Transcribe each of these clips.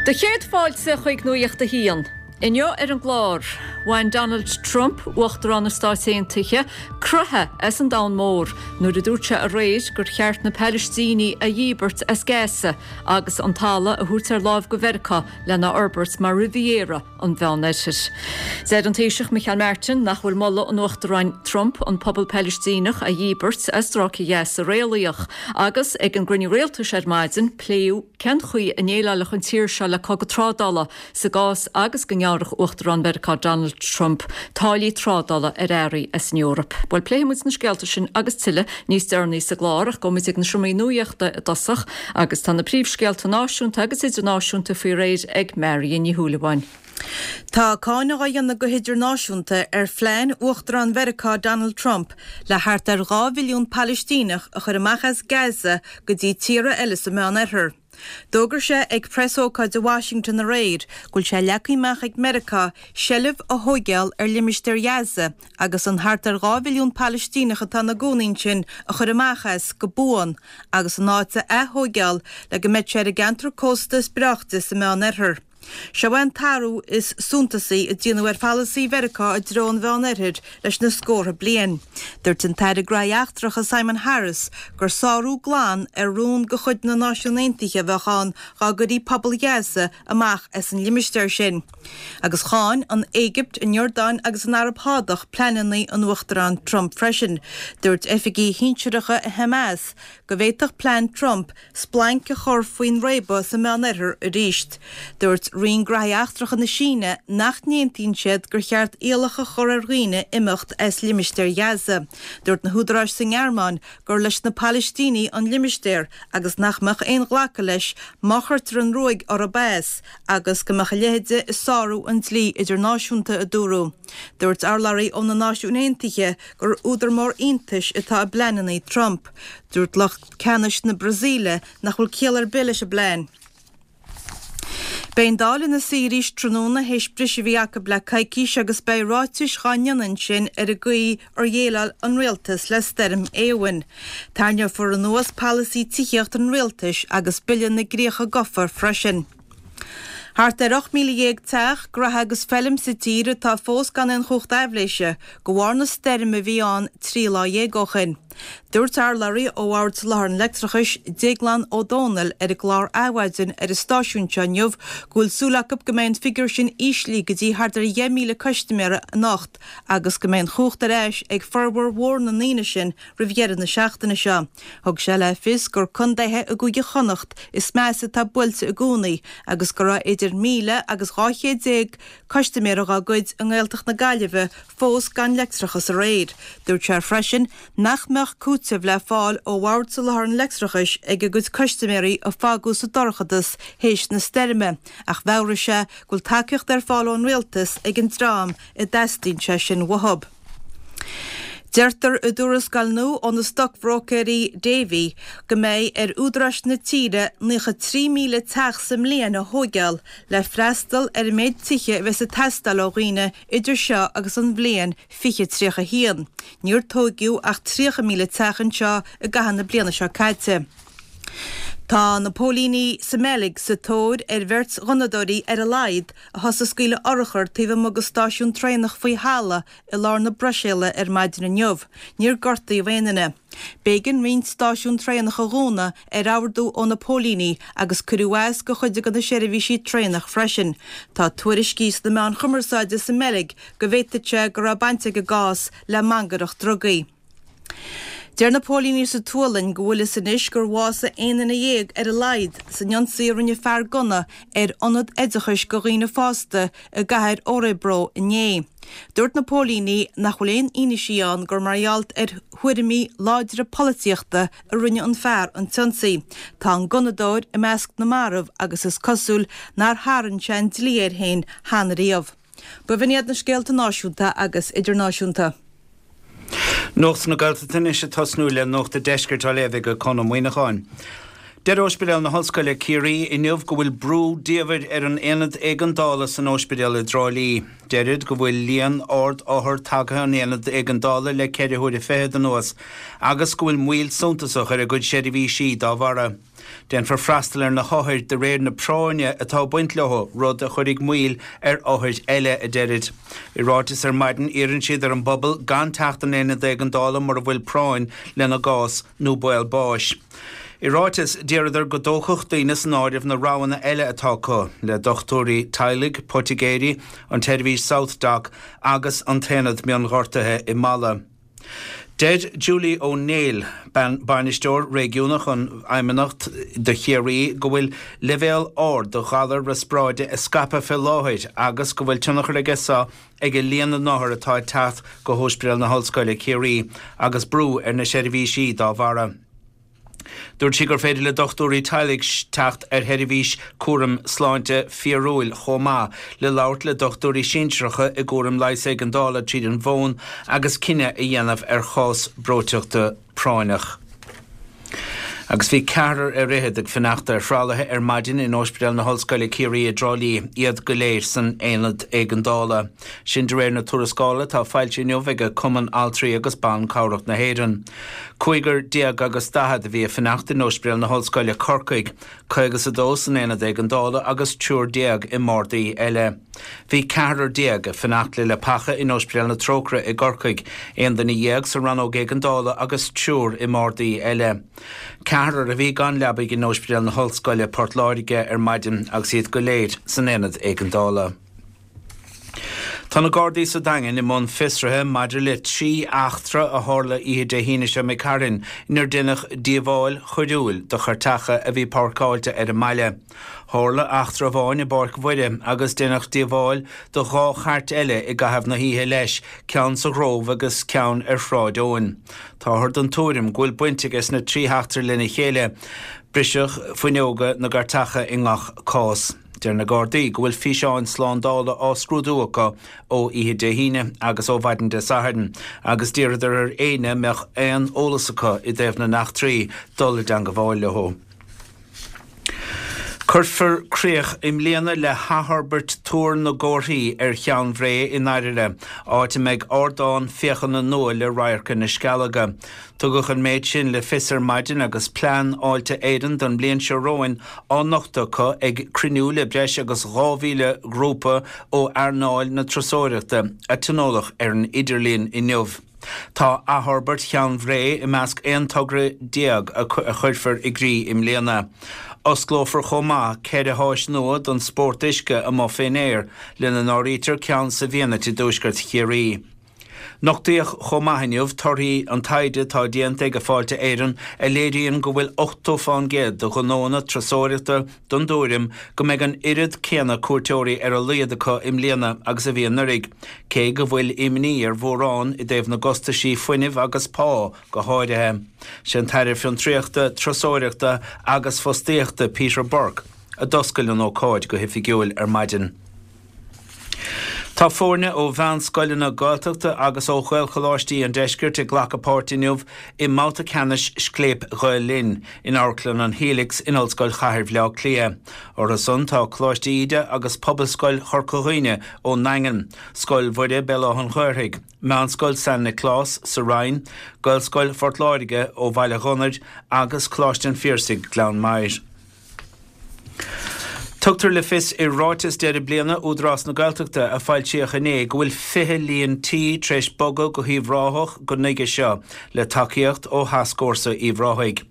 Do chéad fáilte chuig Nuacht a hAon. Inniu ar an gclár, bhain Donald Trump, Uachtarán na Stáit Aontaithe, croitheadh as an domhan mór nuair a dúirt sé aréir gur cheart na Palaistínigh a dhíbirt as Gaza agus an talamh a thabhairt ar láimh go Mheiriceá lena fhorbairt mar Riviera an Mheánoirthir. Deir an Taoiseach Micheál Martin nach bhfuil moladh an Uachtaráin Trump an pobal Palaistíneach a dhíbirt as Stráice Ghaza réalaíoch agus ag an gcruinniú rialtais ar maidin pléadh cén chaoi a ndéileálfadh an tír seo le cogadh trádála sa gcás agus go ngearrfadh Uachtarán Mheiriceá Donald Trump táillí trádála ar earraí as an Eoraip. Bhuel, pléifidh muid na scéalta sin agus tuilleadh níos deireanaí sa gclár ach gabhfaidh muid ag na seomraí nuachta i dtosach agus tá na príomhscéalta náisiúnta agus idirnáisiúnta faoi réir ag Marion Ní Shúilleabháin. Tá cáineadh á dhéanamh go hidirnáisiúnta ar phlean Uachtarán Mheiriceá Donald Trump le thart ar 2 mhilliún Palaistíneach a chur amach as Gaza go dtí tíortha eile sa Mheánoirthear. D'fhógair sé ag preasócáid i Washington aréir go bhfuil sé leagtha amach ag Meiriceá seilbh a thóigeáil ar limistéar Ghaza agus an thart ar 2 mhilliún Palaistíneach atá ina gcónaí ansin a chur amach as go buan agus an áit a ath-thóigeáil le go mbeidh sé ar an gceantar cósta is breáichte sa Meán-Oirthear. Seo é an t-athrú is suntasaí a déanadh ar pholasaí Mheiriceá i dtreo an Mheán-Oirthir leis na scórtha bliain. Dúirt an tAire Graithí Eachtracha Simon Harris gur sárú glan ar rún de chuid na Náisiún Aontaithe a bheadh ann dá gcuirí pobal Ghaza amach as an limistéar sin. Agus cháin an Éigipt, an Iordáin agus an Araib Shádach pleananna an Uachtaráin Trump freisin. Dúirt oifigigh shinsearacha i Hamas go bhféadfadh plean Trump splanc a chur faoin réabadh sa Meánoirthear arís. Dúirt Roinn Graithí Eachtracha na Síne nach n-aontaíonn siad gur cheart iallach a chur ar dhaoine imeacht as limistéar Ghaza. Dúirt na húdaráis sa nGearmáin gur leis na Palaistínigh an limistéar agus nach mbeadh aon ghlacadh leis má chuirtear an ruaig orthu as agus go mbeadh a leithide ag sárú an dlí idirnáisiúnta, a dúradh. Dúirt urlabhraí ó na Náisiúin Aontaithe gur údar mór iontais atá i bpleananna Trump. Dúirt lucht ceannais na Brasaíle nach bhfuil ciall ar bith leis an bplean. Beidh an Dáil ina suí arís tráthnóna théis briseadh a bhí acu le coicís agus beidh ráitis dhá ndéanamh ansin ar an gcaoi ar dhéileáil an rialtas le stoirm Éowyn. Tarraingeofar anuas polasaí tithíochta an rialtais agus Bille na gCríocha Gofa freisin. Thart ar 18,000 teach, graithe agus feilm sa tír atá fós gan aon chumhacht aibhléise de bharr na stoirme a bhí ann 13 lá ó shin. Dúirt urlabhraí ó Bhord Soláthair an Leictreachais, Déaglán Ó Dónaill ar an gclár Adhmhaidin ar an stáisiún seo inniu go bhfuil súil acu go mbeidh an figiúr sin íslithe go dtí thart ar 10,000 custaiméara anocht agus go mbeidh an chumhacht ar ais ag formhór mhór na ndaoine sin roimh dheireadh na seachtaine seo. Thug sé le fios gur contaetha i gCúige Chonnacht is measa atá buailte i gcónaí agus go raibh idir 1,000 agus 1200 custaiméara dhá gcuid i nGaeltacht na Gaillimhe fós gan leictreachas aréir. Dúirt sé freisin nach mbeadh cúiteamh le fáil ó Bhord Soláthair an Leictreachais ag a gcuid custaiméirí a fágadh sa dorchadas théis na stoirme ach mheabhraigh sé go bhfuil tacaíocht ar fáil ón Rialtas ag an dream a dteastaíonn sé sin uathu. Deirtear i dtuarascáil nua ó na stocbhróicéirí Davy go mbeidh ar údaráis na tíre 93,000 teach sa mbliain a thóigeáil le freastal ar an méid tithe a bheas ag teastáil ó dhaoine idir seo agus an bhliain 2031. Níor tóigeadh ach 30,000 teach anseo i gcaitheamh na bliana seo caite. Tá na póilíní sa mBeilg sa tóir ar bheirt ghunnadóirí ar a laghad a thosaigh ag scaoileadh urchar taobh amuigh de stáisiún traenach faoi thalamh i lár na Bruiséile ar maidin inniu. Níor gortaíodh aon duine. B'éigean roinnt stáisiún traenach a dhúnadh ar ordú ó na póilíní agus cuireadh as do chuid de na seirbhísí traenach freisin. Tá tuairiscí sna meáin chumarsáide sa mBeilg go bhféadfadh sé go raibh baint ag an gcás le mangaireacht drugaí. Deir na póilíní sa tSualainn go bhfuil fhios anois gur bhásaigh 11 duine ar a laghad san ionsaí a rinne fear gunna ar ionad oideachais do dhaoine fásta i gcathair Örebro inné. Dúirt na póilíní nach bhfuil aon fhianaisí ann gur mar gheall ar thuairimí láidre polaitíochta a rinne an fear an t-ionsaí. Tá an gunnadóir i measc na marbh agus is cosúil nár tharraing sé an dlí air féin cheana riamh. B'in iad na scéalta náisiúnta agus idirnáisiúnta. Nuacht na Gaeltachta anois ag tosnú le Nuacht an Deiscirt á léamh ag Conn Ó Muíneacháin. Deir Ospidéal na hOllscoile Ciarraí inniu go bhfuil brú diamhair ar an aonad éigeandála san ospidéal i dTrá Lí. Deirid go bhfuil líon ard othar tagtha 'on aonad éigeandála le ceithre huaire fichead anuas agus go bhfuil moill suntasach ar a gcuid seirbhísí dá bharra. Déanfar freastal ar na hothair de réir na práinne atá ag baint leo, rud a chuirfidh moill ar othair eile, a deirid. I ráiteas ar maidin iarrann siad ar an bpobal gan teacht 'on aonad éigeandála mura bhfuil práinn lena gcás nó baol báis. I ráiteas, d'iarradar go dtógfadh daoine san áireamh na roghanna eile atá acu, le dochtúirí teaghlaigh, poitigéirí, an tseirbhís SouthDoc agus an t-aonad mionghortuithe i Mala. Deir Julie Ó Néill, Bainisteoir Réigiúnach an Fheidhmeannacht do Chiarraí, go bhfuil leibhéal ard de ghalar riospráide ag scaipeadh fé láthair agus go bhfuil tionchar aige so ag líon na n-othar atá ag teacht go hOspidéal na hOllscoile, Ciarraí, agus brú ar na seirbhísí dá bharra. Dúirt sí gur féidir le dochtúirí teaghlaigh teacht ar sheirbhís cúraim sláinte fíorúil chomh maith le labhairt le dochtúirí sinsearacha i gcúram leighis éigeandála tríd an bhfón agus cinneadh a dhéanamh ar chás breoiteachta práinneach. Agus bhí ceathrar ar fhichead ag fanacht ar thralaithe ar maidin in Ospidéal na hOllscoile Ciarraí i dTrá Lí, iad go léir san aonad éigeandála. Sin de réir na tuarascála atá foilsithe inniu ag Cumann Altraí agus Ban Cabhrach na hÉireann. 45 agus a bhí ag fanacht in Ospidéal na hOllscoile, Corcaigh, 52 san aonad éigeandála agus 13 i mbardaí eile. Bhí ceathrar ag fanacht le leapacha in Ospidéal na Trócaire i gCorcaigh, 11 duine sa rannóg éigeandála agus triúr i mbardaí eile. Ceathrar a bhí gan leabaidh in Ospidéal na hOllscoile, Port Láirge ar maidin agus iad go léir san aonad éigeandála. Tá na Gardaí sa Daingean i mbun fiosraithe maidir le 3 eachtra a tharla oíche Dé hAoine seo imigh tharainn inar deineadh díobháil choiriúil do chairteacha a bhí páirceáilte ar an mbaile. Tharla eachtra amháin i bPáirc Mhuire agus deineadh díobháil do dhá chairt eile i gcaitheamh na hoíche leis, ceann sa Ghrove agus ceann ar Shráid Eoin. Táthar den tuairim go bhfuil baint aige sna 3 heachtra lena chéile. Briseadh fuinneoga na gcairteacha i ngach cás. Deir na Gardaí go bhfuil físeáin slándála á scrúdú acu ó oíche Dé hAoine agus ó mhaidin Dé Sathairn agus d'iarradar ar éinne a mbeadh aon eolas acu i dtaobh na n-eachtraí dul i dteangabháil leo. Cuirfear críoch i mbliana le hathfhorbairt Túr na gComharthaí ar Cheann Bhré i nDairire, áit a mbeidh ardán féachana nua le radharc ar na Scealaga. Tugadh an méid sin le fios ar maidin agus plean Fháilte Éireann don mbliain seo romhainn á nochtadh acu ag cruinniú le breis agus 2,000 grúpa ó earnáil na turasóireachta a tionóladh ar an idirlíon inniu. Tá athfhorbairt Cheann Bhré i measc 11 togra a chuirfear i gcrích i mbliana. Osclófar chomh maith ceithre háis nua don spórt uisce amuigh fén aer, lena n-áirítear ceann sa bhFianait i dtuaisceart Chiarraí. Nochtaíodh chomh maith inniu torthaí an taighde atá déanta ag Fáilte Éireann a léiríonn go bhfuil 80 fán gcéad de ghnóanna turasóireachta den dtuairim go mbeidh an oiread céanna cuairteoirí ar a laghad acu i mbliana agus a bhí anuraidh, cé go bhfuil imní ar mhórán i dtaobh na gcostaisí fuinnimh agus pá go háirithe. Sé an tAire Fiontraíochta, Turasóireachta agus Fostaíochta Peter Burke a d'oscail an ócáid go hoifigiúil ar maidin. Tá foirne ó mheánscoileanna Gaeltachta agus ó Ghaelcholáistí an deiscirt ag glacadh páirt inniu i mbabhta ceannais Scléip Ghael Linn in Amharclann an Helix in Ollscoil Chathair Bhaile Átha Cliath. Orthu san tá Coláiste Íde agus Pobalscoil Chorca Dhuibhne ón nDaingean, Scoil Mhuire Béal Átha an Ghaorthaidh, Meánscoil San Nioclás sa Rinn, Gaelscoil Phort Láirge ó Bhaile Ghunnair agus Coláiste an Phiarsaigh, Gleann Maghair. Tugtar le fios i ráiteas deireadh bliana Údarás na Gaeltachta a foilsíodh inné go bhfuil 20 líon tí tar éis bogadh go hUíbh Ráthach go nuige seo le tacaíocht ó Thascfhórsa Uíbh Ráthaigh.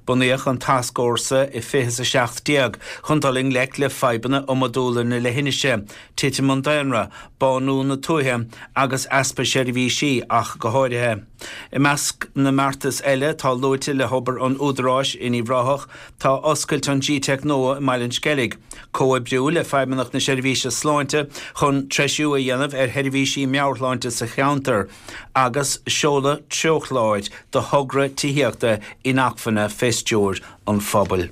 Bunaíodh an tascfhórsa i 2017 chun dul i ngleic le fadhbanna iomadúla na leithinise, titim an daonra, bánú na tuaithe agus easpa seirbhísí ach go háirithe. I measc na mbeartas eile atá luaite le hobair an Údaráis in Uíbh Ráthach Tá oscailt an gteic nua i mBaile an Sceilg, comhoibriú le Feidhmeannacht na Seirbhíse Sláinte chun treisiú a dhéanamh ar sheirbhísí meabhairshláinte sa cheantar agus seoladh treochláir do thogra tithíochta inacmhainne fé stiúir an phobail.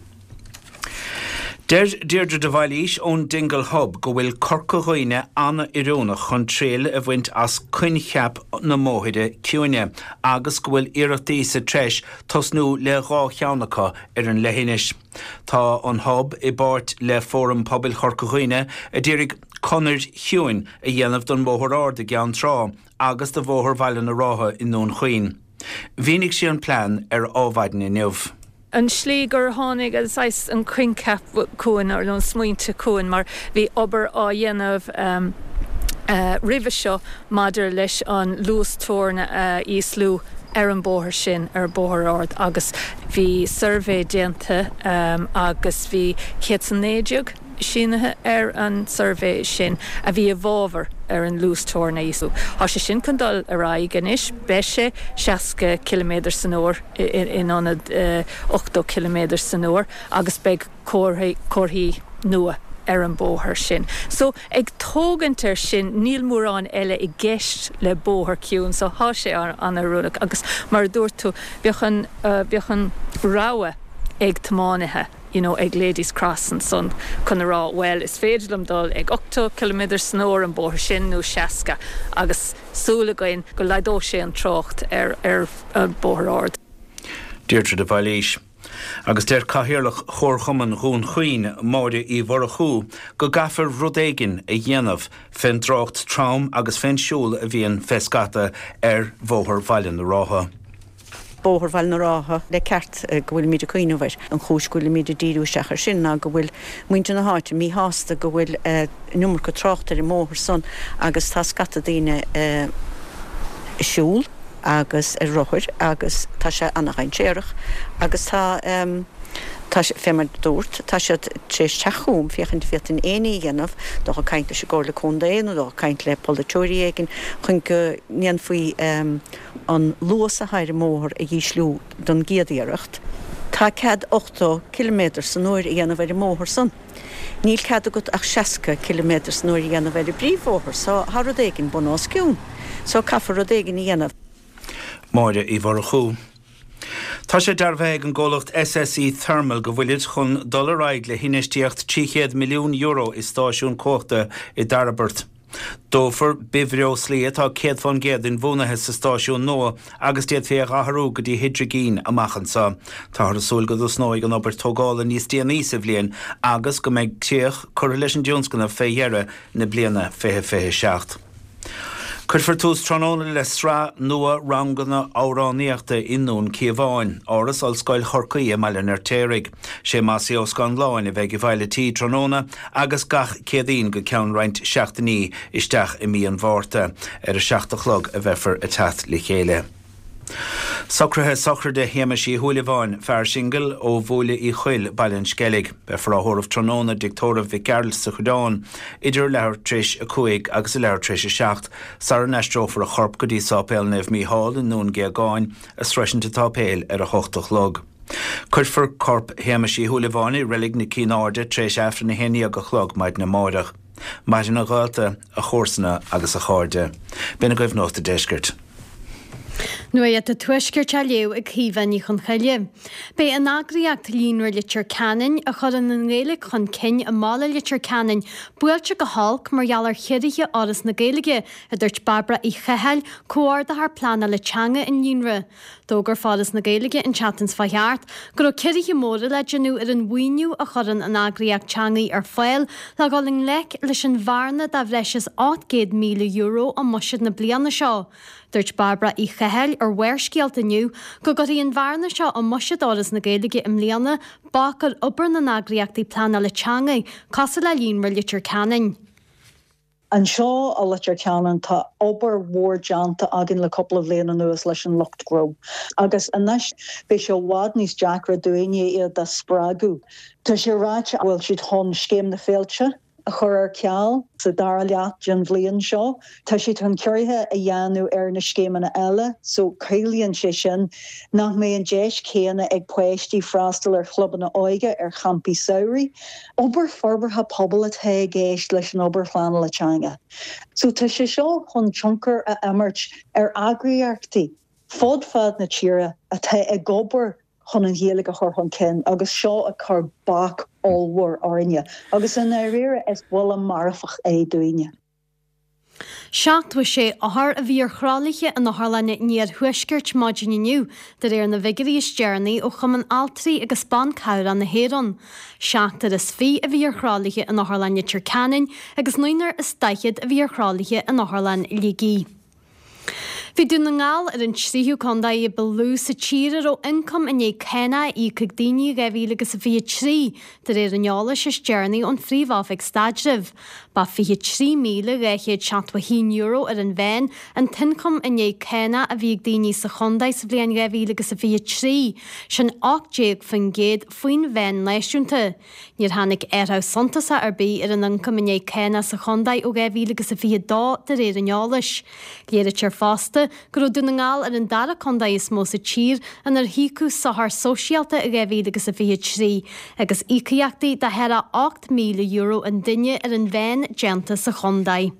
Deir Deirdre de Bhailís ón Dingle Hub go bhfuil Corca Dhuibhne an-oiriúnach chun triail a bhaint as coincheap na mbóithre ciúine agus go bhfuil iarrachtaí sa treis tosnú le 2 cheann acu ar an leithinis. Tá an Hub i bpáirt le Fóram Pobail Chorca Dhuibhne a d'iarraidh conair chiúin a dhéanamh don Bhóthar Ard i gCeann Trá agus do Bhóthar Bhaile na Rátha i nDún Chaoin. Mhínigh sí an plean ar Ádhmhaidin inniu. An tslí gur tháinig an saghas an coincheap chugainn nó an smaointe chugainn mar bhí obair á dhéanamh roimhe seo maidir leis an luas teorann a ísliú ar an bóthar sin, ar an Bóthar Ard agus bhí suirbhé déanta agus bhí 119 sínithe ar an suirbhé sin a bhí i bhfabhar ar an luas teorann a ísliú. Tá sé sin chun dul ar aghaidh anois, beidh sé 60 ciliméadar san uair. in ionad 80 ciliméadar san uair agus beidh comharthaí nua ar an bóthar sin. So, ag tógaint ar sin, níl mórán eile i gceist le bóthar ciúin so tá sé an-oiriúnach agus mar a dúirt tú, bheadh an, bheadh an rogha ag tiománaithe, you know ag Ladies Cross ansan chun a rá bhuel is féidir liom dul ag 80 ciliméadar san uair an bóthar sin nó 60 agus súil againn go laghdóidh sé an trácht ar an Bóthar Ard. Deirdre de Bhailís. Agus deir Cathaoirleach Chomharchumann Dhún Chaoin, Máire Uí Mhurchú, go gcaithfear rud éigin a dhéanamh fén dtrácht trom agus fén siúl a bhíonn fé scata ar Bhóthar Bhaile na Rátha. Bóthar Bhaile na Rátha, le ceart go bhfuilimid ag cuimhneamh air. An chúis go bhfuilimid ag díriú isteach air sin ná go bhfuil muintir na háite míshásta go bhfuil an iomarca tráchta ar an mbóthar san agus tá scata daoine ag siúl agus ar rothair agus tá sé ana-dhainséarach agus tá tá fé mar dúrt tá siad tar éis teacht chugam féachaint an bhféadfainn aon ní a dhéanamh, dul ag caint leis an gComhairle Contae nó dul ag caint le polaiteoirí éigin chun go ndéanfaí an luas atá ar an mbóthar a dhísliú don gcéad iarracht. Tá cead 80 ciliméadar san uair a dhéanamh ar an mbóthar san. Níl cead agat ach 60 ciliméadar san uair a dhéanamh ar an bpríomhbhóthar so tá rud éigin bun os cionn. So caithfear rud éigin a dhéanamh. Máire Uí Mhurchú. Tá sé dearbhaithe ag an gcomhlacht SSE Thermal go bhfuilid chun dul ar aghaidh le hinfheistíocht €300 milliún i stáisiún cumhachta i dTairbeart. Dófar bithbhreoslaí atá 100% inbhuanaithe sa stáisiún nua agus d'fhéadfaí é a athrú go dtí hidrigin amach anseo. Táthar ag súil go dtosnóidh an obair tógála níos déanaí sa bhliain agus go mbeidh críoch curtha leis an dtionscnamh fé dheireadh na bliana 2027. Cuirfear tús tráthnóna le sraith nua ranganna amhránaíochta i nDún Cíobháin, Áras Ollscoil Chorcaí i mBaile an Fheirtéaraigh. Sé Mossie Ó Scanláin a bheidh i bhfeighil an tí tráthnóna agus gach Céadaoin go ceann roinnt seachtainí isteach i mí an Mhárta. Ar a 7 a chlog a bheifear ag teacht le chéile. Socruithe sochraide Shéamais Uí Shúilleabháin, fear singil ó Bhuaile Uí Choill, Baile an Sceilg. Beifear á thórramh tráthnóna i dTigh Tórraimh Mhic Gearailt sa Choireán idir leathuair tar éis a 5 agus a leathuair tar éis a 7 sara n-aistreofar a chorp go dtí Sáipéal Naomh Mícheál i nDún Géagáin a sroisint an tsáipéil ar a hocht a chlog. Cuirfear corp Shéamais Uí Shúilleabháin i Reilig na Cinn Airde tar éis Aifreann a haon dhéag a chlog maidin amáireach. Maireann a ghaolta, a chomharsana agus a chairde. B'in agaibh Nuacht a' Deiscirt. Nuacht an Tuaiscirt á léamh ag Caoimhe Ní Chonchoille. Beidh an eagraíocht Líonra Leitir Ceanainn, a chuireann an Ghaeilge chun cinn i mbaile Leitir Ceanainn, buailte go holc mar gheall ar chiorruithe Fhoras na Gaeilge, a dúirt Bairbre Uí Chathail, Comhordaitheoir Pleanála Teanga an Líonra. D'fhógair Foras na Gaeilge an tseachtain seo thart go raibh ciorruithe móra le déanamh ar an mhaoiniú a chuireann an eagraíocht teangaí ar fáil le dhul i ngleic leis an bhearna de bhreis is €800,000 i mbuiséad na bliana seo. Dúirt Bairbre Uí Chathail ar Bharrscéalta inniu go gcuirfidh an bhearna seo i mbuiséad Fhoras na Gaeilge i mbliana bac ar obair na n-eagraíochtaí pleanála teanga cosúil le Líonra Leitir Ceanainn. Anseo i Leitir Ceanainn tá obair mhór déanta againn le cúpla bhliain anuas leis an lucht gnó agus anois beidh sé i bhfad níos deacra dúinne iad a spreagadh. Tá sé ráite go bhfuil siad chun Scéim na Féilte a chur ar ceal sa dara leath den bhliain seo. Tá siad chun ciorruithe a dhéanamh ar na scéimeanna eile so ciallaíonn sé sin nach mbeidh an deis chéanna ag páistí freastal ar chlubanna óige, ar champaí samhraidh. Obair forbartha pobail atá i gceist leis an obair phleanála teanga. So tá sé seo chun tionchar a imirt ar eagraíochtaí fud fad na tíre atá ag obair. chun an Ghaeilge a chur chun cinn agus seo ag cur bac ollmhór orainne agus i ndáiríre is buille marfach é dúinne. 76 othar a bhí ar thralaithe in Otharlann an Iarthuaiscirt maidin inniu, de réir na bhfigiúirí is deireanaí ó Chumann Altraí agus Ban Cabhrach na hÉireann. Seachtar is 20 a bhí ar thralaithe in Otharlann Leitir Ceanainn agus naonúr is 40 a bhí ar thralaithe in Otharlann Shligigh. Bhí Dún na nGall ar an tríú contae ba lú sa tír a raibh ioncam i ndiaidh cánach á íoc ag daoine i 2023, de réir an eolais is deireanaí ón Phríomh-Oifig Staidrimh. Ba €23,271 ar an mheán an t-ioncam i ndiaidh cánach a bhí ag daoine sa chontae sa bhliain 2023, sin 18% faoin mheán náisiúnta. Níor tháinig athrú suntasach ar bith ar an ioncam i ndiaidh cánach sa chontae ó 2022 de réir an eolais. Léirítear fosta go raibh Dún na nGall ar an dara contae is mó sa tír inar híocadh sochar sóisialta i 2023 agus íocaíochtaí de thart ar €8,000 an duine ar an mheán déanta sa chontae.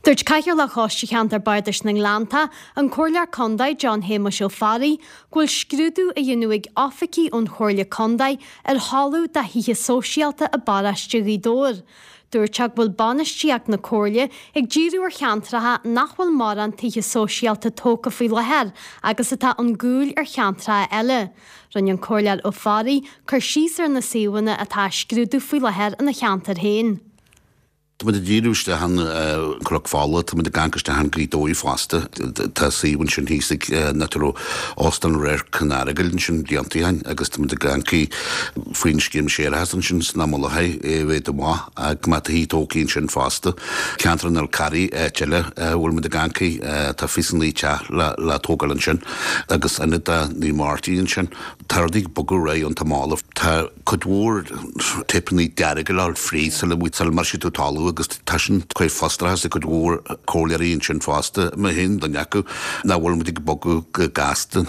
Dúirt Cathaoirleach Choiste Cheantar Bardais na nGleanntach, an Comhairleoir Contae John Shéamuis Ó Fearraigh, go bhfuil scrúdú á dhéanamh ag oifigigh ón Chomhairle Contae ar thalamh do thithe sóisialta i bparóiste Ghaoth Dobhair. Dúirt sé go bhfuil bainistíocht na Comhairle ag díriú ar cheantracha nach bhfuil mórán tithe sóisialta tógtha faoi láthair agus atá chun cúil ar cheantracha eile. Rinne an Comhairleoir Ó Fearraigh cur síos ar na suíomhanna atá á scrúdú faoi láthair ina cheantar féin. Tá muid ag díriú isteach an Cnoc Fola, tá muid ag amharc isteach an Gaoth Dobhair fosta. Tá suíomh ansin thíos ag an áit a raibh Óstán Radharc an Earagail ansin blianta ó shin agus tá muid ag amharc faoin scéim séarachais ansin sna Mullachaí é a mhéadú amach go mbeadh tithe tógtha ansin fosta. Ceantar an Fhál Carraigh, áit eile a bhfuil muid ag amharc, tá 29 teach le tógáil ansin agus ionad do Naomh Máirtín ansin. Tá rudaí ag bogadh ar aghaidh iontach mall. Tá cuid mhór teipeanna dearga le fáil fríd sula mbriseann tú talamh agus tá sin ag cur frustrachas ar cuid mhór comhairleoirí ansin fosta, mé féin duine acu, nach bhfuil muid ag bogadh go gasta.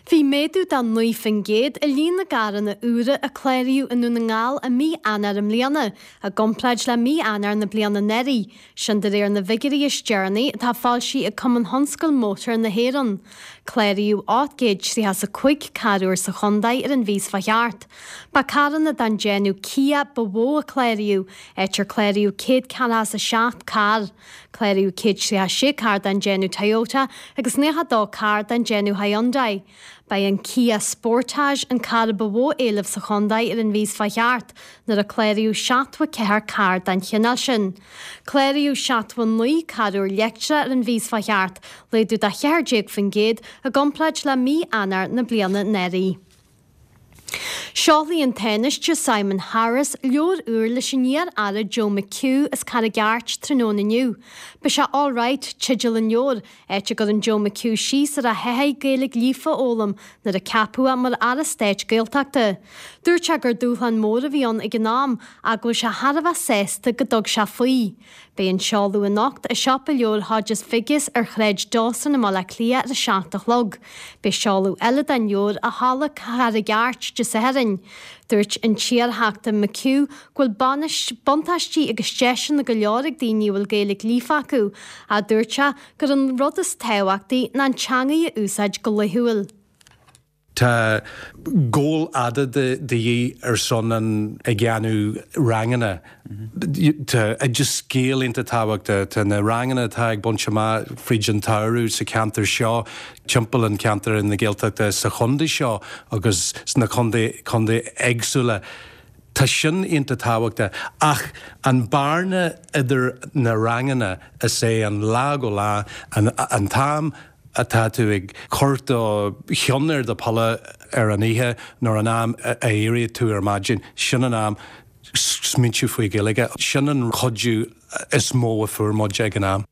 Bhí méadú de 9% i líon na gcarranna úra a cláraíodh i nDún na nGall i mí Eanáir i mbliana, i gcomparáid le mí Eanáir na bliana anuraidh. Sin de réir na bhfigiúirí is deireanaí atá foilsithe ag Cumann Thionscal Mótar na hÉireann. Cláraíodh 835 carr úr sa chontae ar an mhí seo thart. Ba carranna den déanamh Kia ba mhó a cláraíodh, áit ar cláraíodh 147 carr. Cláraíodh 136 carr den déanamh Toyota agus 92 carr den déanamh Hyundai. Ba é an Kia Sportage an carr ba mhó éileamh sa chontae ar an mhí seo thart, nuair a cláraíodh 74 carr den chineál sin. Cláraíodh 79 carr úr leictreach ar an mhí seo thart, laghdú de 14% i gcomparáid le mí Eanáir na bliana anuraidh. Seolfaidh an Tánaiste Simon Harris leabhar úr leis an iar-aire Joe McHugh as Carraig Airt tráthnóna inniu. Beidh sé All Right teideal an leabhair, áit a gcuireann Joe McHugh síos ar a thaithí Gaeilge líofa a fhoghlaim nuair a ceapadh é mar Aire Stáit Gaeltachta. Dúirt sé gur dúshlán mór a bhí ann ag an am ach go bhfuil sé thar a bheith sásta go dtug sé faoi. Beidh an seoladh anocht i siopa leabhar Hodges Figgis ar Shráid Dawson i mBaile Átha Cliath ar a 7 a chlog. Beidh seoladh eile den leabhar i Halla Charraig Airt Dé Sathairn. Dúirt an t-iarTheachta McHugh go bhfuil buntáistí agus deiseanna go leor ag daoine a bhfuil Gaeilge líofa acu, ach dúirt sé gur an rud is tábhachtaí ná an teangaidh a úsáid go laethúil. Tá gabháil fhada de dhíth ar son an ag déanamh ranganna. Tá Oideas Gael iontach tábhachtach. Tá na ranganna atá ag baint amach fríd an tsamhradh sa cheantar seo, timpeall an cheantair na Gaeltachta sa chontae seo agus sna contae contae éagsúla. Tá sin iontach tábhachtach. Ach an bearna idir na ranganna is é an lá go lá an an t-am atá tú ag cur do cheann ar do pillow ar an oíche nó an am a éiríonn tú ar maidin, sin an am smaointiú faoi Ghaeilge. Sin an cuidiú is mó a fuair muid ag an am.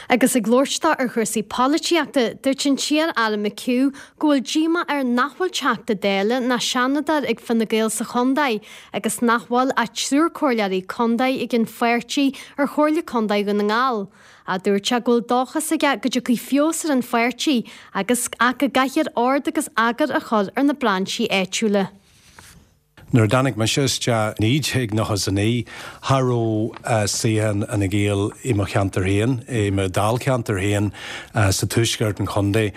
Agus ag labhairt dó ar chúrsaí polaitíochta, dúirt an t-iar-aire McHugh go bhfuil díomá air nach bhfuil Teachta Dála ná Seanadóir ag Fine Gael sa chontae agus nach bhfuil ach triúr comhairleoirí contae ag an pháirtí ar Chomhairle Contae Dhún na nGall. Ach dúirt sé go bhfuil dóchas aige go dtiocfaidh feabhas ar an pháirtí agus ach go gcaithfear ord agus eagar a chur ar na brainsí áitiúla. Nuair a dtáinig mise isteach i 1999, cha raibh suíochán Fhine Gael i mo cheantar féin, i mo dháilcheantar féin sa tuaisceart an chontae.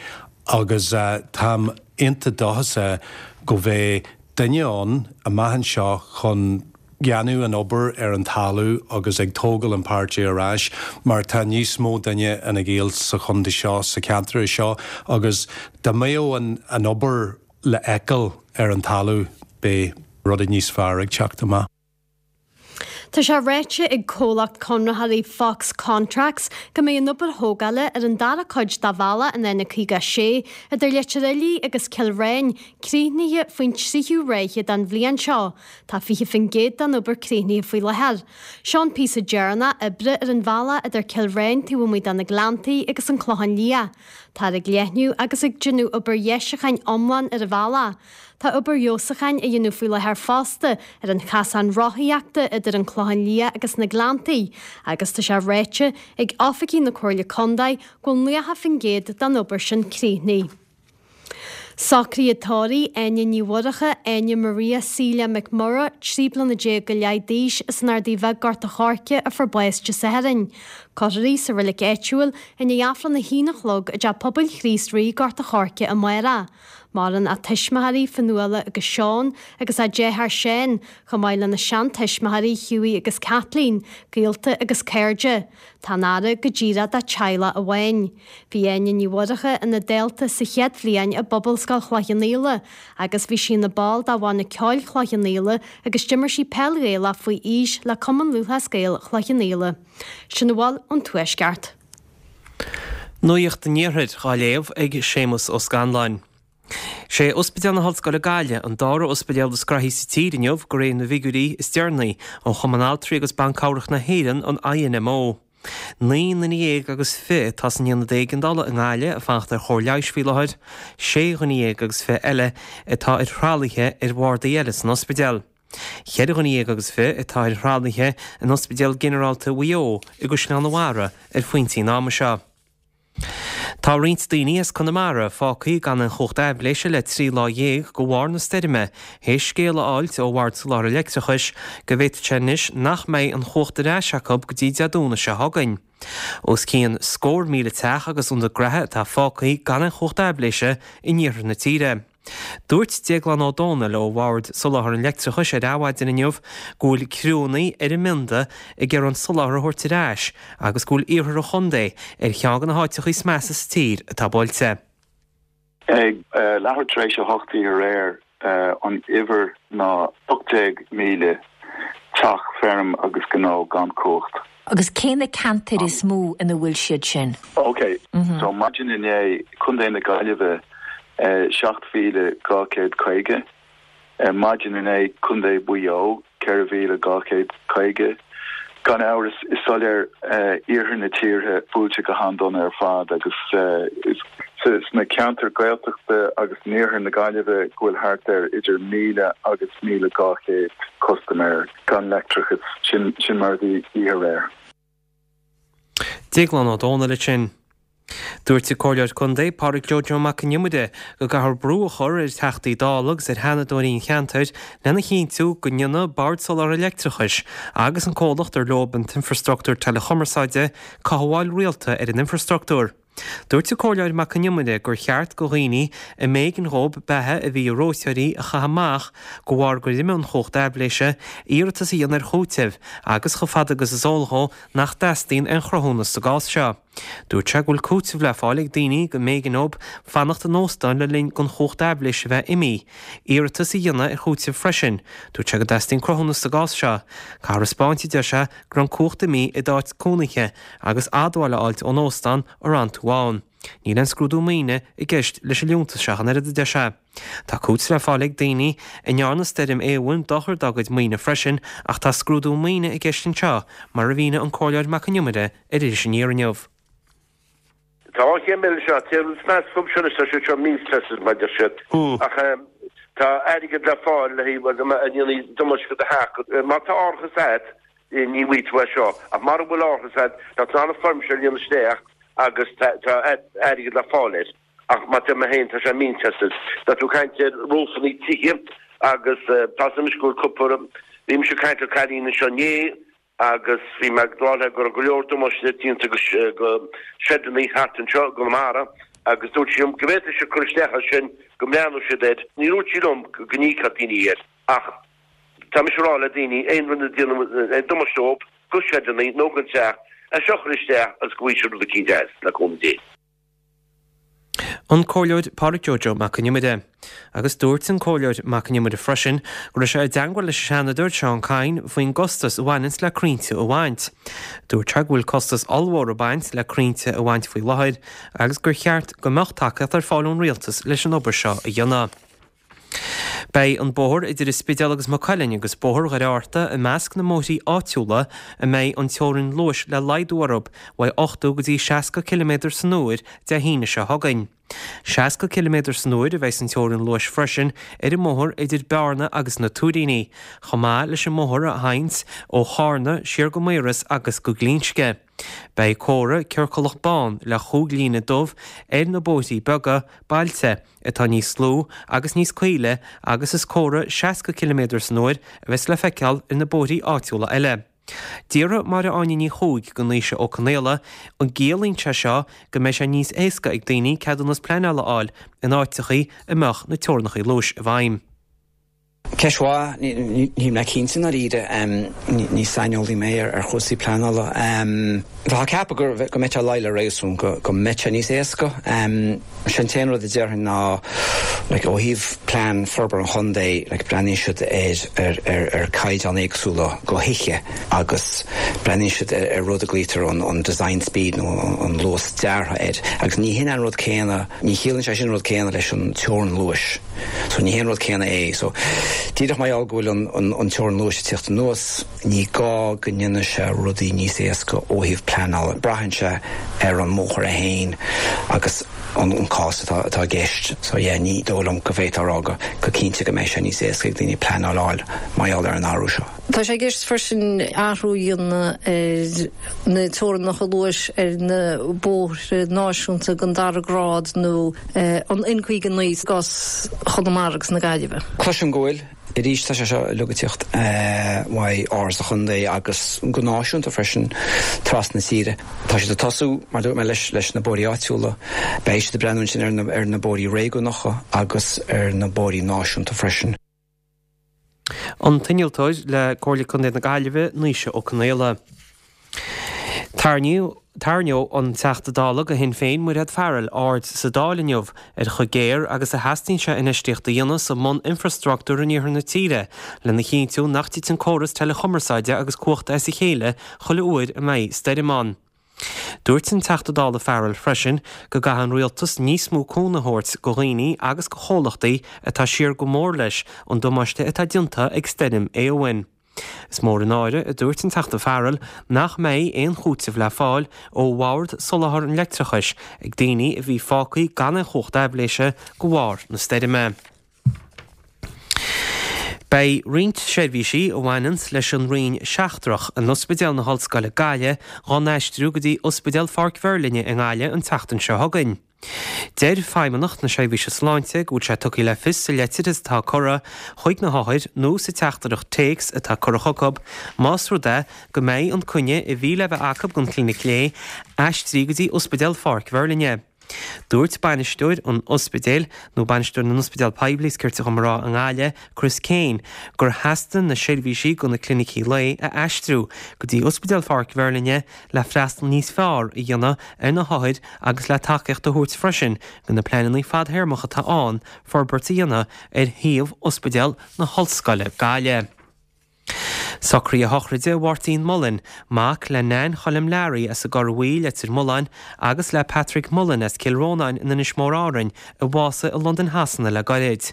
Agus táim iontach dóchasach go bheidh duine ann amach anseo chun dhéanamh an obair ar an talamh agus ag tógáil an páirtí ar ais mar tá níos mó duine Fhine Gael sa chontae seo, sa cheantar seo agus dá mbeadh an an obair le fheiceáil ar an talamh beidh rudaí níos fearr ag teacht amach. Tá sé ráite ag comhlacht conraitheoirí Fox Contracts go mbeidh an obair thógála ar an dara cuid de bhealach an N56 idir Leitir Fhiligh agus Cill Ráin críochnaithe faoin tríú ráithe den bhliain seo. Tá 20% den obair críochnaithe faoi láthair. Seo an píosa deireanach oibre ar an bhealach idir Cill Ráin taobh amuigh de na Gleanntaí agus an Clochán Liath. Táthar ag leathnú agus ag déanamh obair dheisiúcháin iomlán ar an bhealach. Tá obair fheabhsúcháin á dhéanamh faoi láthair fosta ar an chasán rothaíochta idir an Clochán Liath agus na Gleanntaí agus tá sé ráite ag oifigigh na Comhairle Contae go bhfuil 90% den obair sin críochnaithe. Socruithe tórraimh Áine Ní Mhurchadha, Áine Maria Celia McMurrough, 13 bliana go leith d'aois, as an Ardaidh Bheag, Gort a' Choirce, a fuair bás Dé Sathairn. Cuirfear í sa reilig áitiúil i ndiaidh Aifreann a haon a chlog i dTeach Pobail Chríost Rí, Gort a' Choirce amárach. Maireann a tuismitheoirí, Fionnuala agus Seán, agus a deartháir Seán, chomh maith lena seantuismitheoirí Hughie agus Kathleen, gaolta agus cairde. Tá an fhaire go díreach dá teaghlach amháin. Bhí Áine Ní Mhurchadha ina dalta sa chéad bhliain i bPobalscoil Chloich Cheann Fhaola agus bhí sí ina ball de bhanna ceoil Chloich Cheann Fhaola agus d'imir sí peil Ghaelach faoi aois le Cumann Lúthchleas Gael Chloich Cheann Fhaola. Sin a bhfuil ón Tuaisceart. Nuacht an Iarthair dhá léamh ag Séamus Ó Scanláin. Sé Ospidéal na hOllscoile Gaillimh an dara ospidéal is graithí sa tír inniu de réir na bhfigiúirí is deireanaí ó Chumann Altraí agus Ban Cabhrach na hÉireann, an INMO. 19 nduine agus 20 atá san aonad éigeandála i nGaillimh ag fanacht ar chóir leighis faoi láthair, 6 dhuine agus 20 eile atá ar thralaithe ar bhardaí eile san ospidéal. 14 dhuine agus 20 atá ar thralaithe in Ospidéal Ginearálta Mhaigh Eo i gCaisleán an Bharraigh ar phointí an ama seo. Tá roinnt daoine as Conamara fágtha gan aon chumhacht aibhléise le 13 lá de bharr na stoirme, théis scéala a fháilt ó Bhord Soláthair Leictreachais go bhféadfadh sé anois nach mbeidh an chumhacht ar ais acu go dtí Dé Domhnaigh seo chugainn. Os cionn scór míle teach agus ionad graithe atá fágtha gan aon chumhacht aibhléise in iarthar na tíre. Dúirt Déaglán Ó Dónaill ó Bhord Soláthair an Leictreachais ar Adhmhaidin inniu go bhfuil criúnna ar an mbionda ag iarraidh an soláthar a thabhairt ar ais agus go bhfuil iarthar an chontae ar cheann de na háiteacha is measa sa tír atá buailte. Ag leathuair tar éis a hocht oíche aréir, an uimhir ná 18,000 teach, feirm agus gnó gan cumhacht. Agus cé na ceantair is mó ina bhfuil siad sin? Ok, so maidin inné, Contae na Gaillimhe 7,250, maidin inné, Contae Mhaigh Eo 4,250. Gan amhras, is soiléir iarthar na tíre buailte go han-dona ar fad agus is sna ceantair Gaeltachta agus in iarthar na Gaillimhe go bhfuil thart ar idir 1,000 agus 1,200 custaiméir gan leictreachas, sin mar a bhí oíche aréir. Déaglán Ó Dónaill ansin. Dúirt an Comhairleoir Contae, Pádraig Joe Joe Mac an Iomaire, go gcaithfear brú a chur ar Theachtaí Dála agus ar Sheanadóirí an cheantair lena chinntiú go ndéanfaidh Bord Soláthair Leictreachais agus an comhlacht ar leo an t-infreastruchtúr teileachumarsáide cothabháil rialta ar an infreastruchtúr. Dúirt an Comhairleoir Mac an Iomaire gur cheart go dhaoine a mb'éigean dhóib beatha a bhí i reoiteoirí a chaitheamh amach de bharr gur imigh an chumhacht aibhléise, iarratas a dhéanamh ar chúiteamh agus chomh fada agus is eol dhó nach dteastaíonn aon chruthúnas sa gcás seo. Dúirt sé go bhfuil cúiteamh le fáil ag daoine go mb'éigean dhóib fanacht in óstán le linn don chumhacht aibhléise a bheith imithe, iarratas a dhéanamh ar chúiteamh freisin. Dúirt sé go dteastaíonn cruthúnas sa gcás seo. Caithfear a 'spáint, a deir sé, go raibh an cumhacht imithe i d'áit cónaithe agus admháil a fháilt ón óstán a raibh tú ann. Níl aon scrúdú maoine i gceist leis an liúntas seo ach an oiread, a deir sé. Tá cúiteamh le fáil ag daoine a ndearna stoirm Éowyn dochar dá gcuid maoine freisin ach tá scrúdú maoine i gceist anseo, mar a mhínigh an Comhairleoir Mac an Iomaire ar Iris Aniar inniu. Tá an chéim eile seo, téann rud snas fúm seo anois, tá siad seo means tested mar deir siad. Ach tá airgead le fáil le haghaidh a ndéanfaidh damáiste do theach. Má tá árachas agat, ní bhfaighidh tú é seo. Ach mara bhfuil árachas agat, tá tú in ann an foirm seo a líonadh isteach agus tá airgead le fáil air. Ach mar a deir mé féin, tá sé means tested. Tá tú ag caint ar roofannaí tithe agus tá 'fhios a'm go bhfuil cúpla, bhí mise ag caint le cailín anseo inné, agus bhí mé ag rá léi go raibh go leor damáiste déanta go sheideannaí thart anseo i gConamara. Agus dúirt sí liom go bhféadfadh siad cur isteach air sin, go mbreathnódh siad air. Ní dúirt sí liom go n-íocfadh daoine air ach tá mise ag rá le daoine, aon rud a déanann aon damáiste dóibh, go seideanna nó don teach, é seo a chur isteach agus go bhfaighidh siad rud eicínt as, le cúnamh Dé. An Comhairleoir Pádraig Joe Joe Mac Con Iomaire. Agus dúirt an Comhairleoir Mac Con Iomaire freisin go raibh sé i dteangmháil leis an Seanadóir Seán Kyne faoin gcostas a bhaineanns le crainnte a bhaint. Dúirt sé go bhfuil costas ollmhór ag baint le crainnte a bhaint faoi láthair agus gur cheart go mbeadh tacaíocht ar fáil ón Rialtas leis an obair seo a dhéanamh. Beidh an bóthar idir an Spidéal agus Maigh Cuilinn agus Bóthar Dhoire Fhatharta i measc na mbóithrí áitiúla a mbeidh an teorainn luais le laghdú orthu uaidh 80 go dtí 60 ciliméadar san uair Dé hAoine seo chugainn. 60 ciliméadar san uair a bheidh an teorainn luais freisin ar an mbóthar idir Bearna agus na Tuairíní, chomh maith leis an mbóthar a théanns ó Chárna siar go Maoras agus go Glinsce. Beidh comhartha ciorcalach bán le chúig líne dubh ar na bóithrí beaga bailte atá níos lú agus níos caoile agus is comhartha 60 ciliméadar san uair a bheas le feiceáil ar na bóithrí áitiúla eile. D'fhiafraigh Máire Áine Ní Chuaig de Naoise Ó Conaola an gciallaíonn sé seo go mbeidh sé níos éasca ag daoine ceadúnas pleanála a fháil in áiteachaí a mbeadh na teorannachaí luais i bhfeidhm. Ceist mhaith. Níl mé cinnte i ndáiríre. Ní saineolaí mé ar chúrsaí pleanála. Bheifeá ag ceapadh go mbeadh sé ag luí le réasún go mbeadh sé níos éasca. Sé an t-aon rud a déarfainn ná like ó thaobh plean forbartha an chontae like breathnaíonn siad ar ar ar caighdeáin éagsúla go thithe agus breathnaíonn siad ar rud a glaoitear an design speed nó an luas deartha air agus ní hin an rud céanna, ní chiallaíonn sé sin an rud céanna leis an teorainn luais. So ní hé an rud céanna é. So díreach mar gheall go bhfuil an an teorainn luais ag tíocht anuas, ní gá go ndéanfaidh sé rudaí níos éasca ó thaobh pleanála. Braitheann sé ar an mbóthar é féin agus an an cás atá atá i gceist. So yeah, ní dóigh liom go bhféadfá a rá go go cinnte go mbeidh sé níos éasca ag daoine pleanáil a fháil mar gheall ar an athrú seo. Tá sé i gceist freisin athrú a dhéanamh ar na teorainneacha luais ar na bóithre náisiúnta den dara grád nó an N59 i gcás Chonamara agus na Gaillimhe. Cloisim go bhfuil. Arís, tá sé seo uilig ag tíocht uaidh Áras an Chontae agus go náisiúnta freisin, trasna na tíre. Tá siad ag tosú, mar a dúirt mé, leis na bóithrí áitiúla. Beidh siad ag breathnú ansin ar na bóithrí réigiúnacha agus ar na bóithrí náisiúnta freisin. An t-innealtóir le Comhairle Contae na Gaillimhe, Naoise Ó Conaola. Tarraingeoidh an Teachta Dála do Shinn Féin, Mairéad Farrell, aird sa Dáil inniu ar chomh géar agus a theastaíonn sé infheistíocht a dhéanamh sa mbun-infreastruchtúr in iarthar na tíre lena chinntiú nach dtiteann córas teileachumarsáide agus cumhachta as a chéile chuile uair a mbeidh stoirm ann. Dúirt an Teachta Dála Farrell freisin go gcaithfidh an Rialtas níos mó cúnamh a thabhairt go dhaoine agus go chomhlachtaí atá siar go mór leis an damáiste atá déanta ag stoirm Éowyn. Is mór an náire, a dúirt an Teachta Farrell, nach mbeidh aon chúiteamh le fáil ó Bhord Soláthair an Leictreachais ag daoine a bhí fágtha gan aon chumhacht aibhléise de bharr na stoirme. Beidh roinnt seirbhísí a bhaineanns leis an Roinn Seachtrach in Ospidéal na hOllscoile Gaillimh dhá n-aistriú go dtí Ospidéal Pháirc Mheirlinne i nGaillimh an tseachtain seo chugainn. Deir Feidhmeannacht na Seirbhíse Sláinte go bhfuil sé tugtha le fios sa leitir atá curtha chuig na hothair nó sa teachtaireacht téacs atá curtha chucu más rud é go mbeidh an coinne a bhí le bheith acu don chlinic lae aistrithe go dtí Ospidéal Pháirc Mheirlinne. Dúirt bainisteoir an ospidéil, nó bainisteoir na n-ospidéal poiblí is cirte dhom a rá, i nGaillimh, Chris Kane, gur theastaigh na seirbhísí do na clinicí lae a aistriú go dtí Ospidéal Pháirc Mheirlinne le freastal níos fearr a dhéanamh ar na hothair agus le tacaíocht a thabhairt freisin do na pleananna fadthéarmacha atá ann forbairt a dhéanamh ar shuíomh Ospidéal na hOllscoile Gaillimh. Socruithe sochraide Mháirtín Mullen, mac le Nan Choilm Learaí as an gCorr Bhuí, Leitir Mealláin, agus le Patrick Mullen as Cill Rónáin in Inis Mór Árainn, a bhásaigh i Londain Shasana le gairid.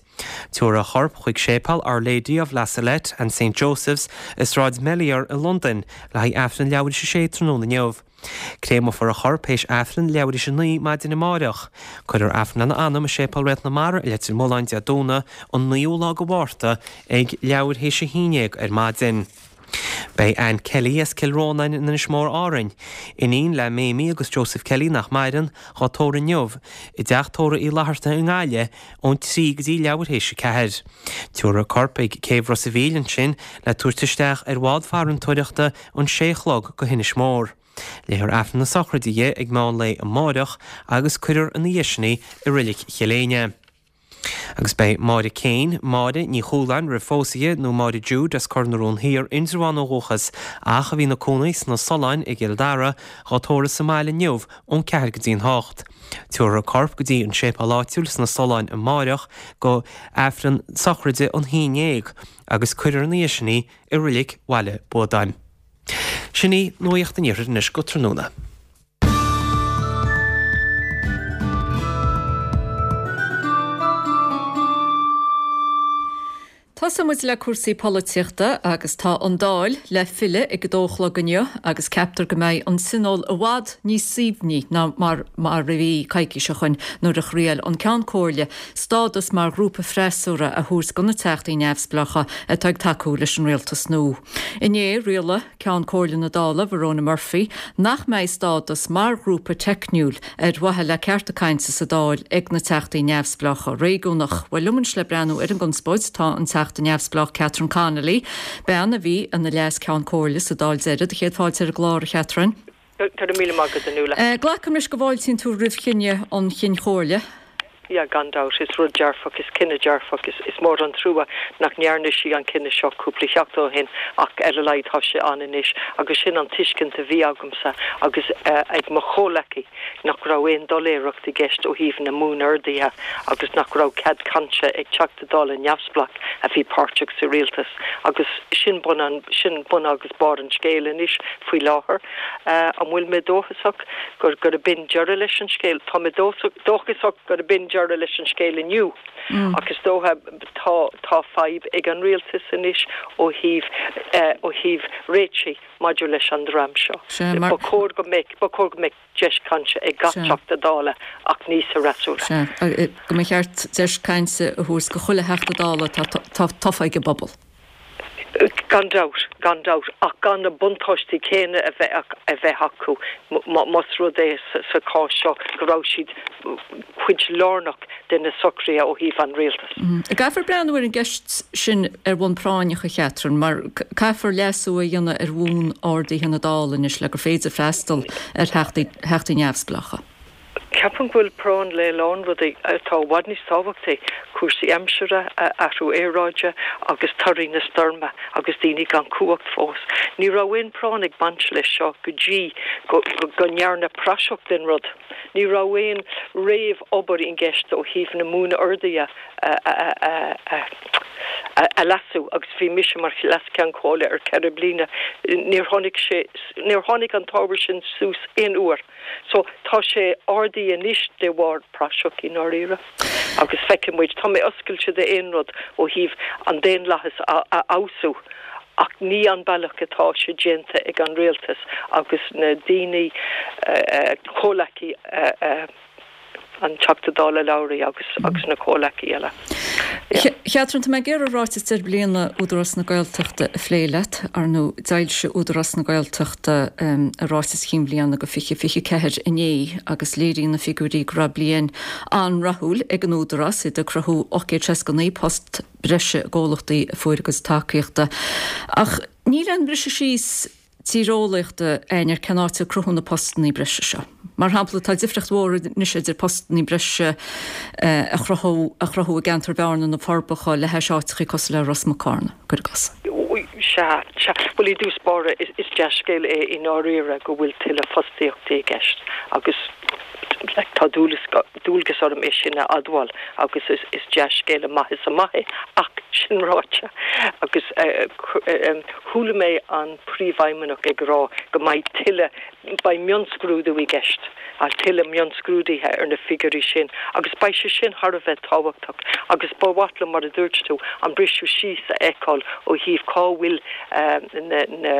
Tabharfar a chorp chuig Séipéal Our Lady of La Salette and Saint Joseph's i Sráid Melior i Londain le haghaidh Aifreann leathuair théis a sé tráthnóna inniu. Créamofar a chorp théis Aifreann leathuair théis a 9 maidin amáireach. Cuirfear Aifreann lena anam i Séipéal Réalt na Mara i Leitir Mealláin Dé Domhnaigh an 9ú lá de Mhárta ag leathuair théis a 11 ar maidin. Beidh Anne Kelly as Cill Rónáin in Inis Mór Árainn, iníon le Mamie agus Joseph Kelly nach maireann, dhá tórramh inniu i dTeach Tórraimh Uí Fhlatharta i nGaillimh ón 3 go dtí leathuair théis a 4. Tabharfar a corp ag Céibh Ros a' Mhíl ansin le tabhairt isteach ar bhád farantóireachta ón 6 a chlog go hInis Mór. Léifear Aifreann na sochraide di ag meán lae amáireach agus cuirfear ina dhiaidh sin í i Reilig Chill Éinne. Agus beidh Máire Kane, Máire Ní Chualáin roimh phósadh di, nó Máire Jude as Cor na Rón Thiar, Indreabhán ó dhúchas ach a bhí ina cónaí sna Solláin i gCill Dara, dhá tórramh sa mbaile inniu ón 4 go dtí an 8. Tabharfar a corp go dtí an séipéal áitiúil sna Solláin amáireach go Aifreann sochraide an haon ndéag agus cuirfear ina dhiaidh sin í i Reilig Bhaile Buadáin. Sin í Nuacht an Iarthair anois go tráthnóna. Tosóidh muid le cúrsaí polaitíochta agus tá an Dáil le filleadh ag a dó a chlog inniu agus ceaptar go mbeidh an Tionól i bhfad níos suaimhní ná mar mar a bhí coicís ó shoin nuair a thriail an Ceann Comhairle stádas mar ghrúpa freasúra a thabhairt do na Teachtaí Neamhspleácha atá ag tacú leis an rialtas nua. Inné, rialaigh Ceann Comhairle na Dála, Verona Murphy, nach mbeidh stádas mar ghrúpa teicniúil ar mhaithe le cearta cainte sa Dáil ag na Teachtaí Neamhspleácha réigiúnach. Bhuel, liom anois le breathnú ar an gconspóid tá an Teachta Neamhspleách Catherine Connolly, bean a bhí ina Leas-Ceann Comhairle sa Dáil deiridh. Do chéad fáilte ar an gclár, a Chatherine. Go raibh míle maith agat, a Nuala. Glacaim leis go bhfáiltíonn tú roimh chinneadh an Chinn Chomhairle. Yeah, gan dabht, is rud dearfach, is cinneadh dearfach, is, is mór an trua nach ndearna sí an cinneadh seo cúpla seachtain ó shin ach ar a laghad tá sé ann anois agus sin an tuiscint a bhí agamsa agus ag mo chomhleacaí nach raibh aon doiléireacht i gceist ó thaobh na mbuan-orduithe agus nach raibh cead cainte ag Teachta Dála neamhspleách a bhí páirteach sa rialtas agus sin bun an, sin bun agus barr an scéil anois faoi láthair. An bhfuil mé dóchasach gur, gurb in deireadh leis an scéal? Tá mé dóchasach. Dóchasach gurb in deireadh leis an scéal inniu ach is dócha tá tá fadhb ag an rialtas anois ó thaobh ó thaobh réitigh maidir leis an dream seo. Ba chóir go mbeadh ba chóir go mbeadh deis cainte ag gach Teachta Dála ach ní sa fhreasúra. Sea, go mba cheart deis cainte a thabhairt go chuile Theachta Dála atá tofa ag an bpobal. Gan dabht, gan dabht, ach gan na buntáistí céanna a bheith a bheith acu más rud é sa chás seo go raibh siad cuid lárnach de na socruithe ó thaobh an rialtais. Caithfear breathnú ar an gceist sin ar bhonn práinneach, a Chatherine, mar caithfear leasú a dhéanamh ar bhuan-orduithe na Dála anois le gur féidir freastal ar theachtaí neamhspleácha. Ceapaim go bhfuil práinn le a lán rudaí atá i bhfad níos tábhachtaí, cúrsaí aimsire, athrú aeráide agus torthaí na stoirme agus daoine gan cumhacht fós. Ní raibh aon práinn ag baint leis seo go dtí go ndearnadh praiseach den rud. Ní raibh aon réamh-obair i gceist ó thaobh na mbuan-orduithe a leasú agus bhí mise mar Leas-Cheann Comhairle ar 4 bliana. Níor tháinig sé, níor tháinig an t-ábhar sin suas aon uair. So, tá sé ardaithe anois de bharr praiseach i ndáiríre. Agus feicfidh muid. Tá mé oscailte d'aon rud ó thaobh an daonlathas a fheabhsú ach ní an bealach atá sé déanta ag an rialtas agus na daoine, comhleacaí a. an Teachta Dála Lowry agus agus na comhleacaí eile. Yeah. Catherine, tá mé ag iarraidh ráiteas deireadh bliana Údarás na Gaeltachta a phlé leat. Ar ndóigh, d'fhoilsigh Údarás na Gaeltachta a ráiteas chinn bhliana do 2024 inné agus léiríonn na figiúirí go raibh bliain an-rathúil ag an Údarás, iad ag cruthú 869 post breise i gcomhlachtaí a fuair a gcuid tacaíochta. Ach níl aon bhriseadh síos tíreolaíochta againn ar cén áit ar cruthú na postannaí breise seo. Mar shampla, tá difríocht mhór anois idir postannaí breise a chruthú a chruthú i gceantar Bhearna na Forbacha le hais áiteachaí cosúil le Ros Muc Carna, cuir i gcás. Sea, sea. Bhuel, i dtús báire, is dea-scéal é i ndáiríre go bhfuil tuilleadh fostaíochtaí i gceist agus tá dualgas orm é sin a admháil agus is dea-scéal amach is amach é. Ach, sin ráite, agus chuala mé an Príomhfheidhmeannach ag rá go mbeidh tuilleadh, beidh mionscrúdú i gceist, tuilleadh mionscrúdaithe ar na figiúirí sin agus beidh sé sin thar a bheith tábhachtach agus ba mhaith liom, mar a dúirt tú, an briseadh síos a fheiceáil ó thaobh cá bhfuil na, na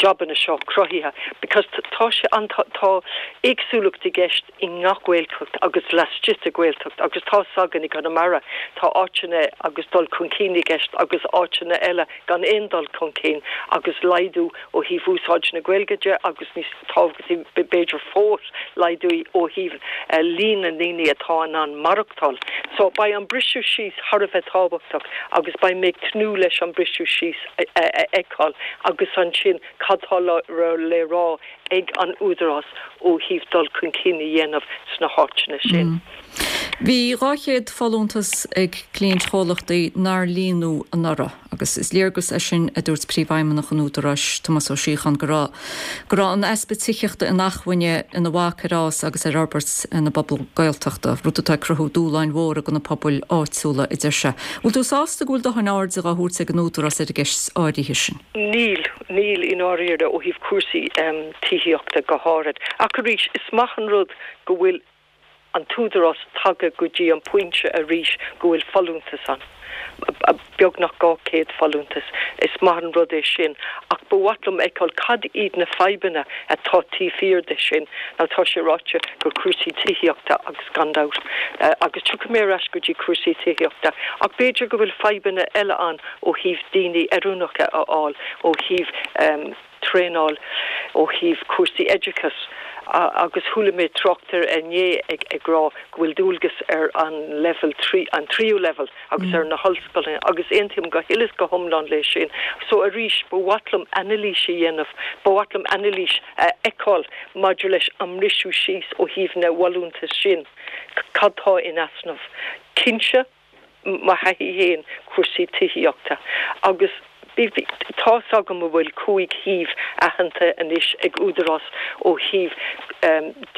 jabanna seo cruthaithe because tá sé an, tá éagsúlacht i gceist i ngach Gaeltacht agus laistigh de Ghaeltacht agus tá 's againn i gConamara tá áiteanna agus dul chun cinn i gceist agus áiteanna eile gan aon dul chun cinn agus laghdú ó thaobh úsáid na Gaeilge de agus níos tábhachtaí b'fhéidir fós laghdú ó thaobh líon na ndaoine atá in ann maireachtáil. So beidh an briseadh síos thar a bheith tábhachtach agus beidh mé ag tnúth leis an briseadh síos a fheiceáil agus ansin. sin cad tá le rá ag an Údarás ó thaobh dul chun cinn a dhéanamh sna háiteanna sin. Bhí 200 folúntas ag cliaintchomhlachtaí nár líonadh anuraidh agus is léargas é sin, a dúirt Príomhfheidhmeannach an Údaráis, Tomás Ó Síocháin, go raibh go raibh an easpa tithíochta inacmhainne ina bhac ar fhás agus ar fhorbairt na bpobal Gaeltachta, rud atá ag cruthú dúshláin mhóra do na pobail áitiúla, a deir sé. Bhfuil tú sásta go bhfuil dóthain airde á thabhairt ag an Údarás ar an gceist áirithe sin? Níl, níl i ndáiríre ó thaobh cúrsaí tithíochta go háirid. Ach arís, is maith an rud go bhfuil an tÚdarás tagtha go dtí an pointe arís go bhfuil folúntas ann, beagnach 200 folúntas. Is maith an rud é sin ach ba mhaith liom fheiceáil cad iad na fadhbanna atá taobh thiar de sin. Now tá sé ráite gur cúrsaí tithíochta agus gan dabht, agus tiocfaidh mé ar ais go dtí cúrsaí tithíochta, ach b'fhéidir go bhfuil fadhbanna eile ann ó thaobh daoine oiriúnacha a fháil, ó thaobh. traenáil ó thaobh cúrsaí oideachais agus chuala mé tráchtaire inné ag rá go bhfuil dualgas ar an leibhéal an tríú leibhéal agus ar na hollscoileanna agus aontaím go huile is go hiomlán leis sin. So arís ba mhaith liom anailís a dhéanamh, ba mhaith liom anailís a fheiceáil maidir leis an mbriseadh síos ó thaobh na bhfolúntas sin, cad tá in easnamh. Cinnte, mo thaithí féin, cúrsaí tithíochta agus tá's agam go bhfuil 5 shuíomh aitheanta anois ag Údarás ó thaobh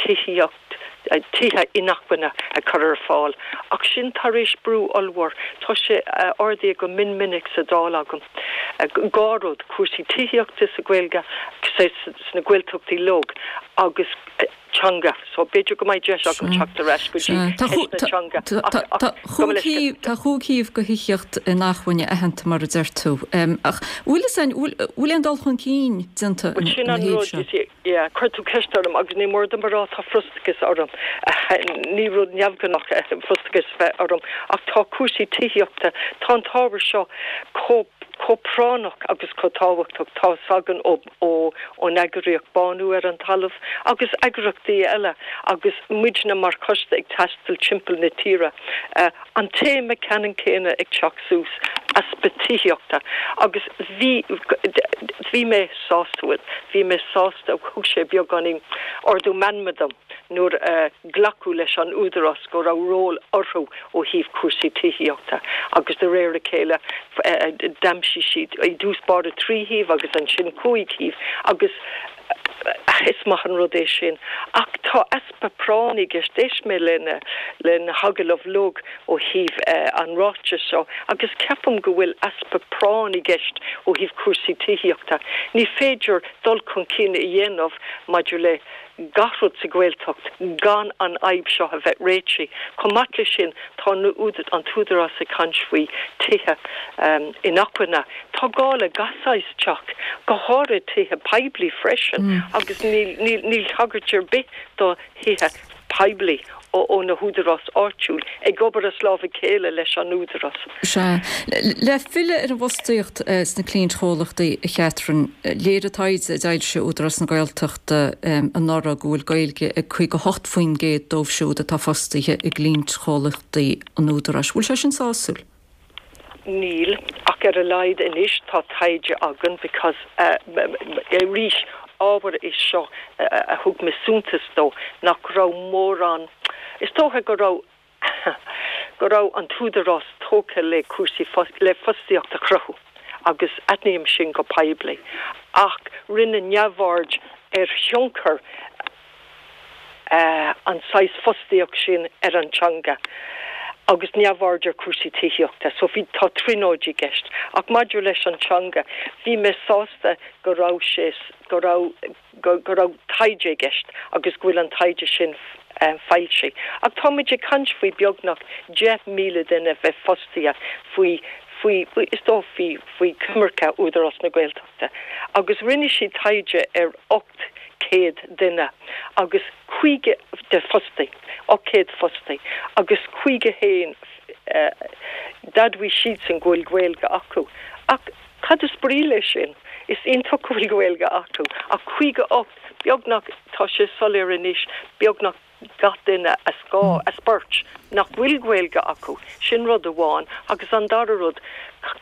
tithíocht, tithe inacmhainne a chur ar fáil ach sin tar éis brú ollmhór. Tá sé ardaithe go mion minic sa Dáil agam. Dhá rud, cúrsaí tithíochta sa Ghaeilge, sna Gaeltachtaí uilig agus. teanga. So b'fhéidir go mbeidh deis agam teacht ar ais go dtí ceist na teanga ach gabh mo leithscéal. Tá chúig shuíomh do thithíocht inacmhainne aitheanta mar a deir tú. Ach bhfuil fhios a'inn, bhfuil aon dul chun cinn déanta Bhuel sin ina an thaobh rud, seo? you see, yeah, chuir tú ceist orm agus ní mór dom a rá tá frustrachas orm. Ní rud neamhghnách é frustrachas a bheith orm ach tá cúrsaí tithíochta, tá an t-ábhar seo chomh chomh práinneach agus chomh tábhachtach, tá fhios againn ó ón eagraíocht Bánú ar an Talamh agus eagraíochtaí eile agus muidne mar choiste ag taisteal timpeall na tíre, an téama ceannann céanna ag teacht suas, easpa tithíochta. Agus bhí, bhí mé sásta, bhuel, bhí mé sásta, thug sé beagáinín ardú meanma dom nuair a glacadh leis an Údarás go raibh ról orthu ó thaobh cúrsaí tithíochta agus de réir a chéile d'aimsigh siad i dtús báire 3 shuíomh agus ansin 5 shuíomh agus is maith an rud é sin. Ach tá easpa práinne i gceist. D'éist mé le na hagallaimh uilig ó thaobh an ráitis seo agus ceapaim go bhfuil easpa práinne i gceist ó thaobh cúrsaí tithíochta. Ní féidir dul chun cinn a dhéanamh maidir le gach rud sa Ghaeltacht gan an fhadhb seo a bheith réitithe. Chomh maith leis sin, tá an tÚdarás ag caint faoi tithe inacmhainne. Tá gá le gach saghas teach, go háirithe tithe poiblí freisin, agus níl tagairt ar bith do thithe poiblí ó na húdaráis áitiúil, ag obair as lámh a chéile leis an Údarás. Sea. Le filleadh ar an bhfostaíocht sna cliaintchomhlachtaí, a Chatherine, léirigh taighde a d'fhoilsigh Údarás na Gaeltachta anuraidh go bhfuil Gaeilge ag 58% dóibh siúd atá fostaithe i gcliaintchomhlachtaí an Údaráis. Bhfuil sé sin sásúil? Níl, ach ar a laghad anois tá taighde againn because arís ábhar é seo a thug mé suntas dó nach raibh mórán, is dócha go raibh go raibh an tÚdarás tógtha le cúrsaí le fostaíocht a chruthú agus aithním sin go poiblí ach rinneadh neamhaird ar thionchar an saghas fostaíocht sin ar an teanga agus neamhaird ar chúrsaí tithíochta. So bhí, tá trionóid i gceist. Ach maidir leis an teanga, bhí mé sásta go raibh sé, go raibh, go raibh taighde i gceist agus go bhfuil an taighde sin foilsithe. Ach tá muid ag caint faoi beagnach 10,000 duine a bheith fostaithe faoi, faoi, is dócha faoi, faoi choimirce Údarás na Gaeltachta. Agus rinne siad taighde ar 800 duine agus 50 de fostaí, 800 fostaí agus 51 d'admhaigh siadsan go bhfuil Gaeilge acu. Ach cad is brí leis sin? Is iontach go bhfuil Gaeilge acu ach 58, beagnach, tá sé soiléir anois, beagnach gach duine as 2, as beirt, nach bhfuil Gaeilge acu. Sin rud amháin. Agus an dara rud,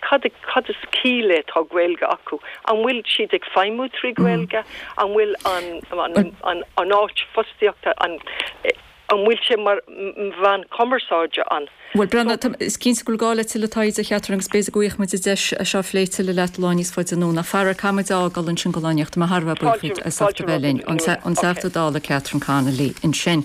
cad, cad is ciall le tá Gaeilge acu? An bhfuil siad ag feidhmiú trí Ghaeilge? An bhfuil an, an, an, an áit fostaíochta, an, An bhfuil sé mar mheán cumarsáide an. Bhuel, Breandán, tá, is cinnte go bhfuil gá le tuilleadh taighde, a Chatherine, agus b'fhéidir go bhfaighidh muid an deis é seo a phlé tuilleadh leat lá níos faide anonn. Ach faraor, caithfidh muid a fhágáil ansin go lá inniu. Tá mé thar a bheith buíoch díot as ucht a bheith linn. An Teachta Dála Catherine Connolly ansin.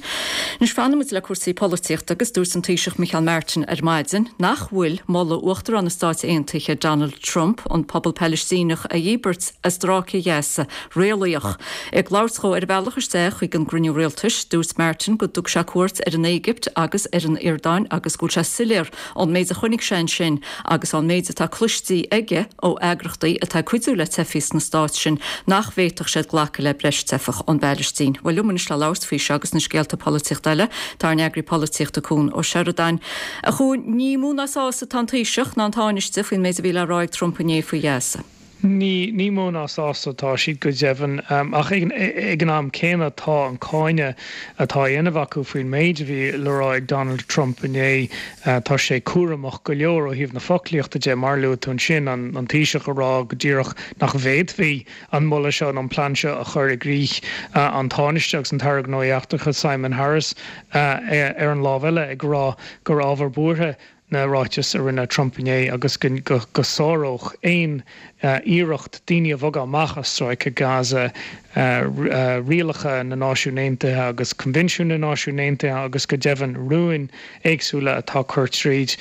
Anois fanfaidh muid le cúrsaí polaitíochta agus dúirt an Taoiseach Micheál Martin ar maidin nach bhfuil moladh Uachtarán na Stáit Aontaithe Donald Trump an pobal Palaistíneach a dhíbirt as Stráice Ghaza réalaíoch. Ag labhairt dhó ar a bhealach isteach chuig an gcruinniú rialtais, dúirt Martin go dtug sé cuairt ar an Éigipt agus ar an Iordáin agus go bhfuil sé soiléir ón méid a chonaic sé ansin agus ón méid atá cloiste aige ó eagrachtaí atá ag cuidiú le teifigh sna stáit sin nach bhféadfadh siad glacadh le breis teifeach ón bPailistín. Bhuel, liom anois le labhairt faoi seo agus na scéalta polaitíochta eile, tá ár n-eagraí polaitíochta Cuan Ó Seireadáin. A Chuain, ní mó ná sásta atá an Taoiseach ná an Tánaiste faoin méid a bhí le rá ag Trump inné faoi Ghaza. Ní, ní mó ná sásta atá siad, go deimhin. Ach ag an am céanna tá an cáineadh atá á dhéanamh acu faoin méid a bhí le rá ag Donald Trump inné, tá sé cúramach go leor ó thaobh na foclaíochta de. Mar a luaigh tú ansin, an Taoiseach ag rá go díreach nach bhféadfaí an moladh seo nó an plean seo a chur i gcrích, an Tánaiste agus an tAire Gnóthaí Eachtracha Simon Harris ar an lámh eile ag rá gur ábhar buartha na ráitis a rinne Trump inné agus go sáródh aon iarracht daoine a bhogadh amach as Stráice Gaza rialacha na Náisiún Aontaithe agus Coinbhinsiúin na Náisiún Aontaithe agus go deimhin rúin éagsúla atá curtha tríd,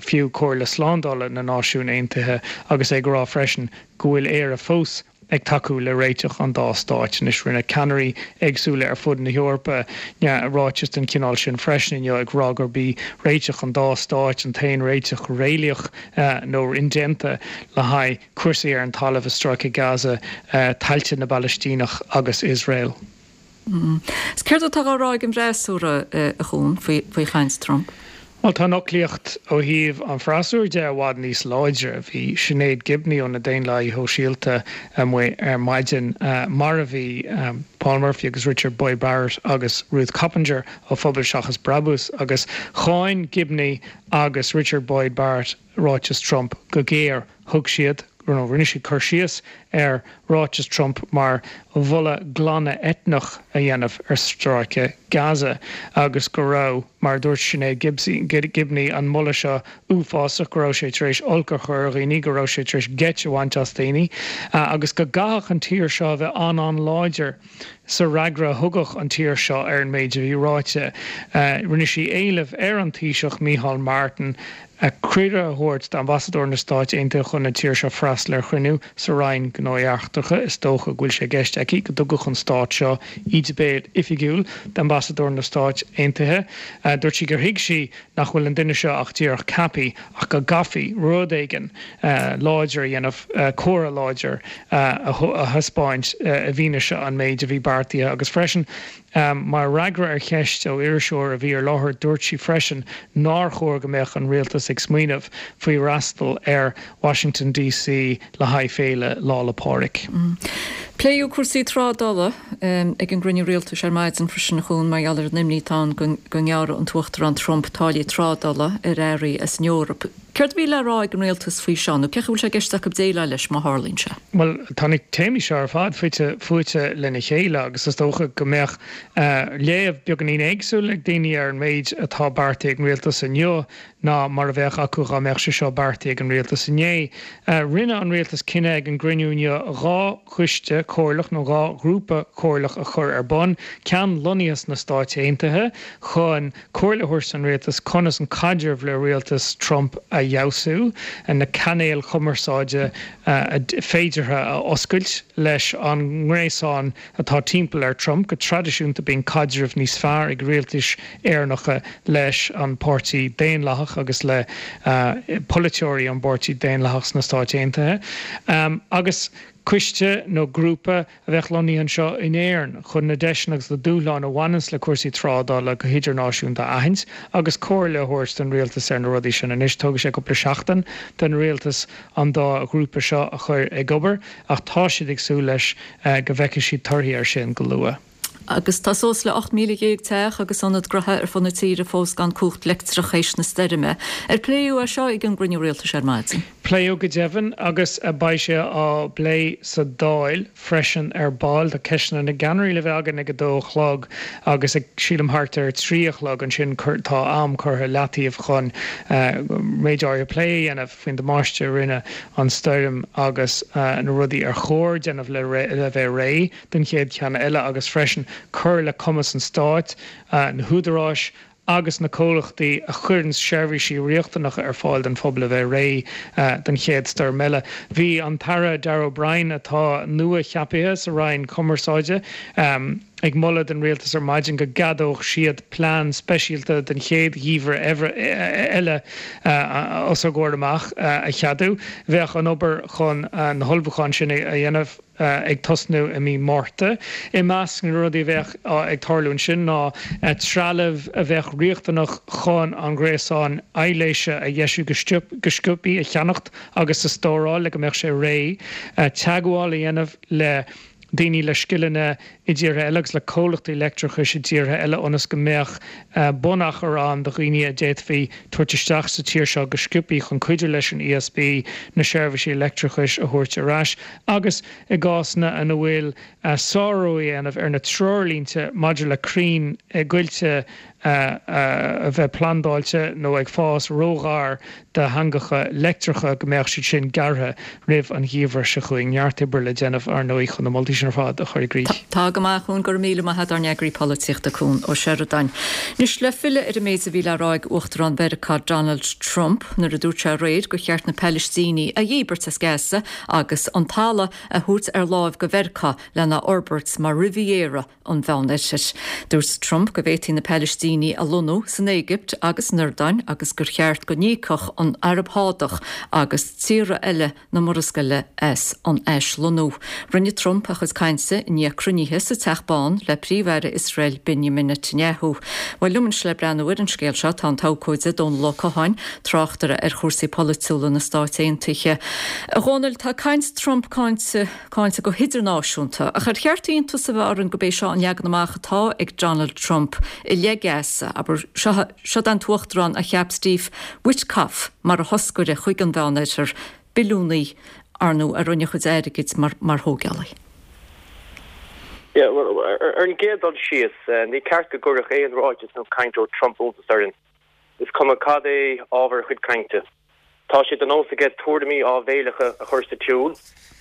fiú Comhairle Slándála na Náisiún Aontaithe agus é ag rá freisin go bhfuil Éire fós ag tacú le réiteach an dá stáit. Anois, rinne ceannairí éagsúla ar fud na hEorpa ráiteas den chineál sin freisin inniu, ag rá gurb í réiteach an dá stáit an t-aon réiteach réalaíoch nó indéanta le haghaidh cúrsaí ar an talamh i Stráice Gaza, tailte na bPalaistíneach agus Iosrael. Is céard atá á rá ag an bhfreasúra, a Chuain, faoi chaint Trump? Bhuel, tá an fhoclaíocht ó thaobh an fhreasúra de i bhfad níos láidre. Bhí Sinéad Gibney ó na Daonlathaithe Shóisialta amuigh ar maidin, mar a bhí Paul Murphy agus Richard Boyd Barrett agus Ruth Coppinger ó Phobal Seachas Brabús, agus cháin Gibney agus Richard Boyd Barrett ráiteas Trump go géar. Thug siad, nó rinne siad cur síos ar ráiteas Trump mar mholadh glanadh eitneach a dhéanamh ar Stráice Gaza agus go raibh, mar a dúirt Sinéad Gibney, an moladh seo uafásach, go raibh sé tar éis olc a chur ar dhaoine, go raibh sé tar éis geit a bhaint as daoine agus go gcaithfeadh an tír seo a bheith an-an-láidir sa fhreagra a thugadh an tír seo ar an méid a bhí ráite. Rinne sí éileamh ar an Taoiseach Micheál Martin cuireadh a thabhairt d'Ambasadóir na Stáit Aontaithe chun na tíre seo freastal ar chruinniú sa Roinn Gnóthaí Eachtracha. Is dócha go bhfuil sé i gceist aici go dtugfadh an stát seo íde béil oifigiúil d'Ambasadóir na Stáit Aontaithe. Dúirt sí gur thuig sí nach bhfuil an duine seo ach díreach ceaptha ach go gcaithfí rud éigin láidir a dhéanamh, comhartha láidir a thaispeáint i bhfianaise an méid a bhí beartaithe agus freisin Mar fhreagra ar cheist ó iriseoir a bhí ar láthair, dúirt sí freisin nár chóir go mbeadh an rialtas ag smaoineamh faoi fhreastal ar Washington DC le haghaidh féile Lá 'le Pádraig. Pléadh cúrsaí trádála ag an gcruinniú rialtais ar maidin freisin, a Chuain, mar gheall ar an imní atá ann go ngearrfadh an tUachtarán Trump táillí trádála ar earraí as an Eoraip. Céard a bhí le rá ag an rialtas faoi seo, nó cén chaoi a bhfuil sé i gceist acu déileáil leis má tharlaíonn sé? Bhuel, tá na téamaí seo ar fad fite fuaite lena chéile agus is dócha go mbeadh léamh beagáinín éagsúil ag daoine ar an méid atá beartaithe ag an rialtas inniu ná mar a bheadh acu dhá mbeadh sé seo beartaithe ag an rialtas inné. Rinne an rialtas cinneadh ag an gcruinniú inniu 2 choiste comhairleach nó 2 ghrúpa comhairleach a chur ar bun, ceann lonnaithe sna Stáit Aontaithe chun comhairle a thabhairt don rialtas conas an caidreamh le rialtas Trump a fheabhsú, na cainéil chumarsáide féideartha a oscailt leis an ngréasán atá timpeall ar Trump. Go traidisiúnta bíonn caidreamh níos fearr ag rialtais Éireannacha leis an bPáirtí Daonlathach agus le polaiteoirí an bPáirtí Daonlathach sna Stáit Aontaithe agus. Coiste nó grúpa a bheadh lonnaithe anseo in Éirinn chun na deiseanna agus na dúshláin a bhaineanns le cúrsaí trádála go hidirnáisiúnta a aithint agus comhairle a thabhairt don rialtas ar na rudaí sin. Anois tógfaidh sé cúpla seachtain don rialtas an dá ghrúpa seo a chur ag obair ach tá siad ag súil leis go bhfeicfidh siad torthaí air sin go luath. Agus tá suas le 18,000 teach agus ionad gnoithe ar fud na tíre fós gan cumhacht leictreach théis na stoirme. Ar pléadh é seo ag an gcruinniú rialtais ar maidin? Pléadh go deimhin agus beidh sé á bplé sa Dáil freisin ar ball. Tá ceisteanna na gceannairí le bheith againn ag a dó a chlog agus ag, sílim, thart ar a trí a chlog ansin tá am curtha i leataobh chun méid áirithe plé a dhéanamh faoin damáiste a rinne an stoirm agus na rudaí ar chóir déanamh le bheith réidh. don chéad cheann eile agus freisin cur le cumas an stáit, na húdaráis agus na comhlachtaí a chuireann seirbhísí riachtanacha ar fáil don phobal a bheith réidh don chéad stoirm eile. Bhí an tAire Darragh O'Brien, atá nua-cheapaithe sa Roinn Cumarsáide, ag moladh don Rialtas ar maidin go gceadódh siad plean speisialta don chéad gheimhreadh eile os ár gcomhair amach a cheadú. Bheadh an obair chun na hullmhúcháin sin a dhéanamh, ag tosnú i mí Márta. I measc na rudaí a bheadh ag tarlú ansin ná trealamh a bheadh riachtanach chun an gréasán aibhléise a dheisiú go sciobthaí a cheannacht agus a stóráil le go mbeadh sé réidh, teagmháil a dhéanamh le daoine le scileanna i dtíortha eile agus le comhlachtaí leictreachais i dtíortha eile ionas go mbeadh bunachar ann do dhaoine a d'fhéadfaí tabhairt isteach sa tír seo go sciobthaí chun cuidiú leis an ESB na seirbhísí leictreachais a thabhairt ar ais agus i gcásanna ina bhfuil sárú á dhéanamh ar na treoirlínte maidir le crainn i gcoillte a bheith plandáilte nó ag fás róghar do heangacha leictreacha go mbeadh siad sin gearrtha roimh an gheimhreadh seo chugainn. Neart oibre le déanamh, ar ndóigh, chun na moltaí sin ar fad a chur i gcrích. Tá go maith, a Chuain. Go raibh míle maith a't, ár n-eagraí polaitíochta, Cuan Ó Seireadáin. Anois, le filleadh ar an méid a bhí le rá ag Uachtarán Mheiriceá Donald Trump nuair a dúirt sé aréir gur cheart na Palaistínigh a dhíbirt as Gaza agus an talamh a thabhairt ar láimh go Mheiriceá lena fhorbairt mar Riviera an Mheánoirthir. Dúirt Trump go bhféadfaí na Palaistínigh a lonnú san Éigipt agus san Iordáin agus gur cheart go n-íocfadh an Araib Shádach agus tíortha eile na Murascaille as an aislonnú. Rinne Trump a chuid cainte i ndiaidh cruinnithe sa Teach Bán le Príomh-Aire Iosrael Benjamin Netanyahu. Bhuel, liom anois le breathnú ar an scéal seo tá an t-abhcóide Dónal Ó Catháin, tráchtaire ar chúrsaí polaitiúla na Stáit Aontaithe. A Dhónaill, tá caint Trump cáinte cáinte go hidirnáisiúnta. Ach ar cheart iontas a bheith orainn gurb é seo an leagan amach atá ag Donald Trump i leith Gaza? Abair, seo, seo an t-uachtarán a cheap Steve Witkoff mar a thoscaire chuig an Mheánoirthear, billiúnaí, ar ndóigh, a rinne a chuid airgid mar, mar thógálaí. Yeah, well, ar an gcéad dul síos, ní ceart go gcuirfeadh aon ráiteas nó caint ó Trump iontas orainn. Is cuma cad é ábhar a chuid cainte. Tá sé de nós aige tuairimí áibhéileacha a chur sa tsiúl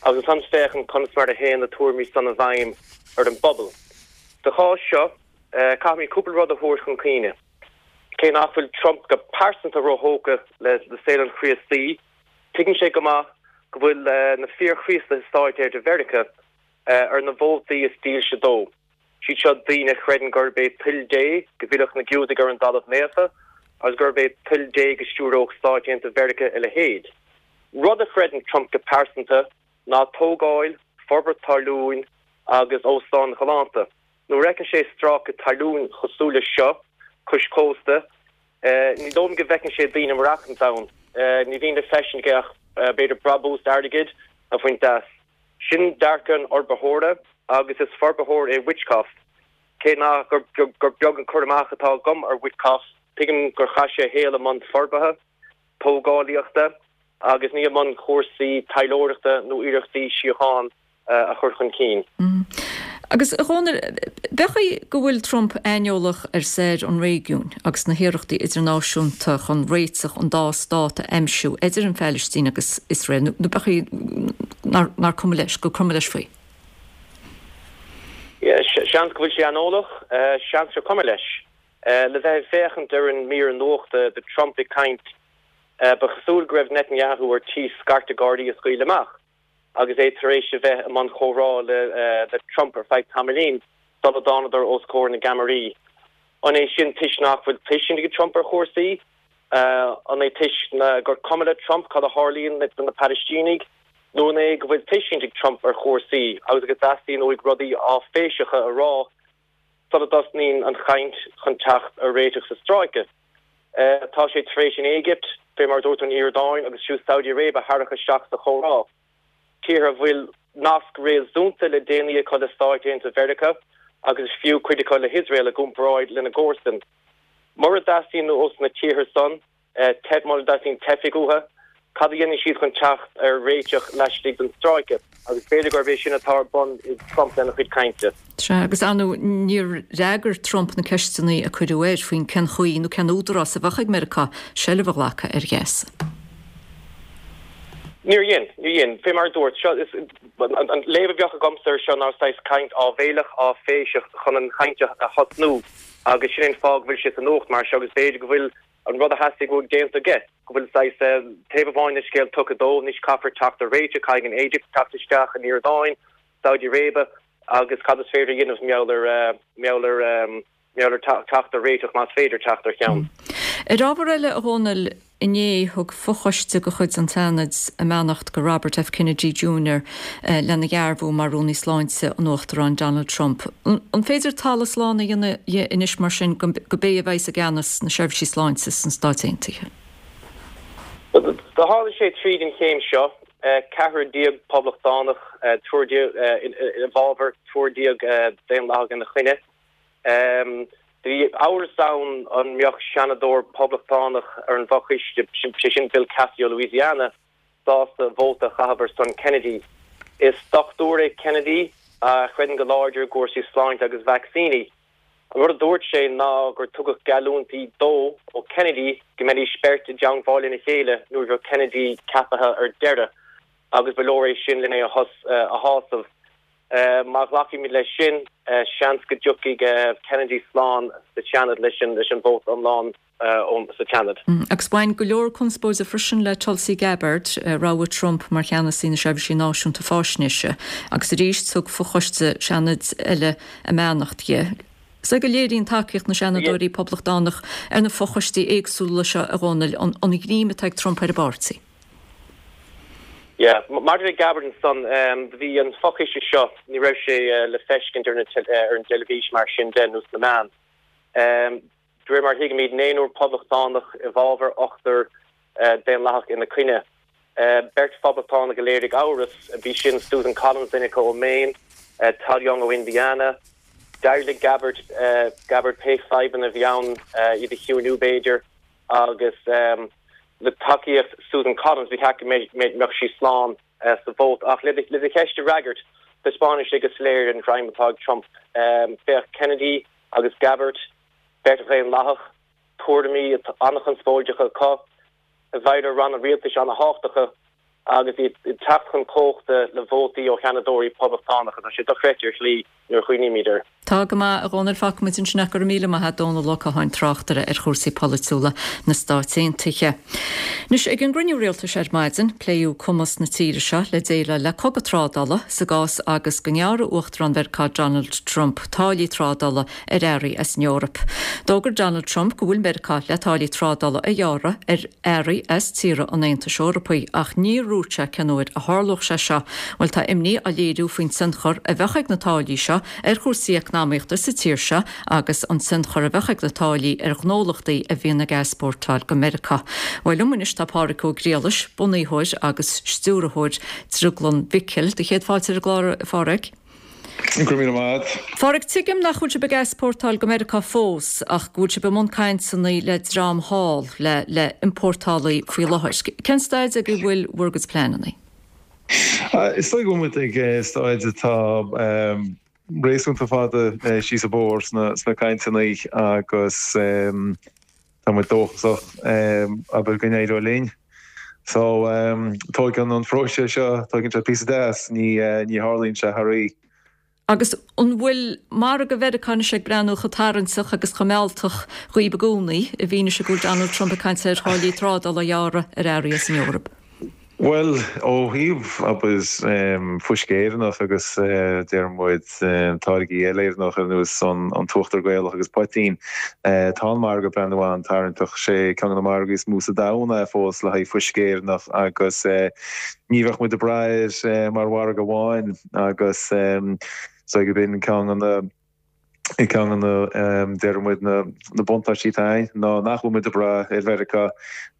agus ansan féachaint conas mar a théann na tuairimí san i bhfeidhm ar an bpobal. Sa chás seo, caithfimid cúpla rud a thabhairt chun cuimhne. Cé nach bhfuil Trump go pearsanta róthógtha le saol an Chríostaí, tuigeann sé go maith go bhfuil na fíor-Chríostaithe i Stáit Aontaithe Mheiriceá ar na vótaí is dílse dó. Siad seo daoine a chreideann gurb é toil Dé go bhfillfeadh na Giúdaigh ar an dtalamh naofa agus gurb é toil Dé go stiúródh Stáit Aontaithe Mheiriceá a leithéid. Rud a chreideann Trump go pearsanta ná tógáil, forbairt talún agus óstáin ghalánta. Nuair a fheiceann sé stráice talún cosúil leis seo cois cósta, ní dóigh liom go bhfeiceann sé daoine ag maireachtaint ann. Ní bhíonn le feiscint aige ach b'fhéidir brabús airgid a bhaint as. Sin dearcadh an fhorbarthóra agus is forbarthóir é Witkoff. Cé nach gur beag an cur amach atá agam ar Witkoff, tuigim gur chaith sé a shaol i mbun forbartha, tógálaíochta agus ní i mbun cúrsaí taidhleoireachta nó iarrachtaí síocháin a chur chun cinn. Agus, a Dhónaill, b'fhéidir go bhfuil Trump aineolach ar stair an réigiúin agus na hiarrachtaí idirnáisiúnta chun réiteach an dá stát a aimsiú idir an Phalaistín agus Iosrael, nó b'fhéidir nár cuma leis, gur cuma leis faoi. Seans go bhfuil sé aineolach, seans gur cuma leis. Le bheith ag féachaint ar an mír nuachta de Trump ag caint, ba chosúil go raibh Netanyahu ar tí scairteadh gáirí a scaoileadh amach. agus é tar éis a bheith i mbun comhrá le Trump ar feadh tamaillín sula dtánadar os comhair na gceamaraí. An é sin toisc nach bhfuil tuiscint ag Trump ar chúrsaí? An é toisc gur cuma le Trump cad a tharlaíonn do na Palaistínigh? Nó an é go bhfuil tuiscint ag Trump ar chúrsaí agus go dteastaíonn uaidh rudaí áiféiseacha a rá sula dtosnaíonn an chaint chun teacht ar réiteach sa stráice? Tá sé tar éis an Éigipt, fé mar a dúirt tú an Iordáin agus fiú Saudi Arabia a tharrac isteach sa chomhrá. Tíortha a bhfuil nasc réasúnta le déanaí acu le Stáit Aontaithe Mheiriceá agus is fiú cuid acu le hIosrael i gcomparáid lena gcomharsain. Mura dteastaíonn ós na tíortha san, Mura dteastaíonn teifigh uathu, cad a dhéanfaidh siad chun teacht ar réiteach laistigh den stráice? Agus b'fhéidir gurb é sin atá ar bun ag Trump lena chuid cainte. Sea, agus ar ndóigh níor fhreagair Trump na ceisteanna a cuireadh air faoin cén chaoi nó cén údarás a bheadh ag Meiriceá seilbh a ghlacadh ar Ghaza. Níor dhein, níor dhein. Fé mar a dúirt, seo, is, an léamh a bheadh agamsa air seo ná saghas caint áibhéileach, áiféiseach chun an chaint a thosnú agus sin é an fáth go bhfuil sé sa nuacht mar seo agus b'fhéidir go bhfuil an rud a theastaigh uaidh déanta aige, go bhfuil saghas taobh amháin den scéal tugtha dó, anois caithfear teacht ar réiteach, caithfidh an Éigipt teacht isteach, an Iordáin, Saudi Arabia agus cad is féidir a dhéanamh mar gheall ar, mar gheall ar, mar gheall ar teacht ar réiteach más féidir teacht ar cheann. Ar ábhar eile, a Dhónaill, inné thug fochoiste de chuid an tSeanaid a mbeannacht go Robert F. Kennedy Jr. lena dhearbhú mar Rúnaí Sláinte an Uachtaráin Donald Trump. An féidir talamh slán a dhéanamh dhe anois mar sin go b'é a bheas i gceannas na seirbhísí sláinte sna Stáit Aontaithe? Do tháinig sé tríd an chéim seo, ceathrar déag poblachtánach, triúr déag i bhfabhar, triúr déag daonlathach ina choinne. Bhí amhras ann an mbeadh seanadóir poblachtánach ar an bhfochoiste, sé sin Bill Cassidy ó Louisiana, sásta vóta a chaitheamh ar son Kennedy. Is dochtúir é Kennedy a chreideann go láidir i gcúrsaí sláinte agus vacsaíní. An rud a dúirt sé ná gur tugadh geallúintí dó ó Kennedy go mbeidís beirt i dteangmháil lena chéile nuair a bheadh Kennedy ceaptha ar deireadh agus ba leor é sin len é a shásamh. Má ghlacaimid leis sin, seans go dtiocfaidh Kennedy slán sa Seanad leis an vóta iomlán sa tSeanad. Agus bhain go leor conspóide freisin le Tulsi Gabbard, rogha Trump mar cheannasaí na Seirbhísí Náisiúnta Faisnéise, agus arís thug fochoiste Seanaid eile a mbeannacht di. Is é go léiríonn tacaíocht na Seanadóirí Poblachtánach ar na fochoistí éagsúla seo, a Dhónaill, an ghreim atá ag Trump ar an bpáirtí. Yeah. Maidir le Gabbard ansan, do bhí an fochoiste seo, ní raibh sé le feiscint ar ar an dteilifís mar sin de nó sna meáin. De réir mar a thuigimid, naonúr poblachtánach i bhfabhar, ochtar daonlathach ina coinne. Beirt phoblachtánach a léirigh amhras, bhí sin Susan Collins, duine acu ó Maine, Todd Young ó Indiana. D'éirigh le Gabbard Gabbard pé fadhbanna a bhí ann iad a chiúiniú b'fhéidir. Agus le tacaíocht Susan Collins, ba cheart go mbeadh sí slán sa vóta. Ach le do cheist a fhreagairt, taispeánann sé go soiléir an greim atá ag Trump. Féach Kennedy agus Gabbard, beirt Dhaonlathach, tuairimí an-chonspóideacha acu, i bhfeighil ar ranna rialtais an-thábhachtacha agus iad ag teacht chun cumhachta le vótaí ó sheanadóirí poblachtánacha. Tá sé dochreidte ar shlí nuair a chuimhnímid air. Tá go maith, a Dhónaill. Fágfaimid ansin é. Go raibh míle maith a't, Dónall Ó Catháin, tráchtaire ar chúrsaí polaitiúla na Stáit Aontaithe. Anois, ag an gcruinniú rialtais ar maidin, pléadh cumas na tíre seo le déileáil le cogadh trádála sa gcás agus go ngearrfadh Uachtarán Mheiriceá Donald Trump táillí trádála ar earraí as an Eoraip. D'fhógair Donald Trump go bhfuil Meiriceá le táillí trádála a ghearradh ar earraí as tíortha an Aontais Eorpaigh ach níor dhúirt sé cén uair a tharlódh sé seo. Bhuel tá imní á léiriú faoin tionchar a bheadh ag na táillí seo ar chúrsaí eacnamaíochta sa tír seo agus an tionchar a bheadh ag na táillí ar ghnólachtaí a bhíonn ag easpórtáil go Meiriceá. Bhuel liom anois tá Pádhraic Ó Griallais, bunaitheoir agus stiúrthóir Drioglann Mhicil. Do chéad fáilte ar an gclár, a Phádhraic. Go raibh míle maith agat. A Phádhraic, tuigim nach bhfuil sibh ag easpórtáil go Meiriceá fós ach go bhfuil sibh i mbun cainteanna le dream thall, le le iompórtálaí faoi láthair. Cén staid ag a bhfuil bhur gcuid pleananna? Is dóigh go bhfuil muid ag staid atá réasúnta fada síos an bóthar sna cainteanna agus tá muid dóchasach abair go n-éireoidh linn. So tóigeann an phróiseas seo, tóigeann sé píosa deas, ní ní tharlaíonn sé thar oíche. Agus an bhfuil margadh Mheiriceá anois ag breathnú chomh tarraingteach agus chomh mealltach dhaoib i gcónaí, i bhfianaise go bhfuil Donald Trump ag caint ar tháillí trádála a ghearradh ar earraí as an Eoraip? Bhuel, ó thaobh, abair, fuisce Éireannach agus, deir muid, táirgí eile Éireannach ar nós an t-uachtar Gaelach agus poitín, tá an margadh ag breathnú an-tarraingteach. Sé ceann de na margaí is mó sa domhan é fós le haghaidh fuisce Éireannach agus ní bheadh muid ag brath air mar mhargadh amháin agus is dóigh gurb in ceann de na Ceann de na, déarfaidh muid, na buntáistí atá ann ná nach bhfuil muid ag brath ar Mheiriceá,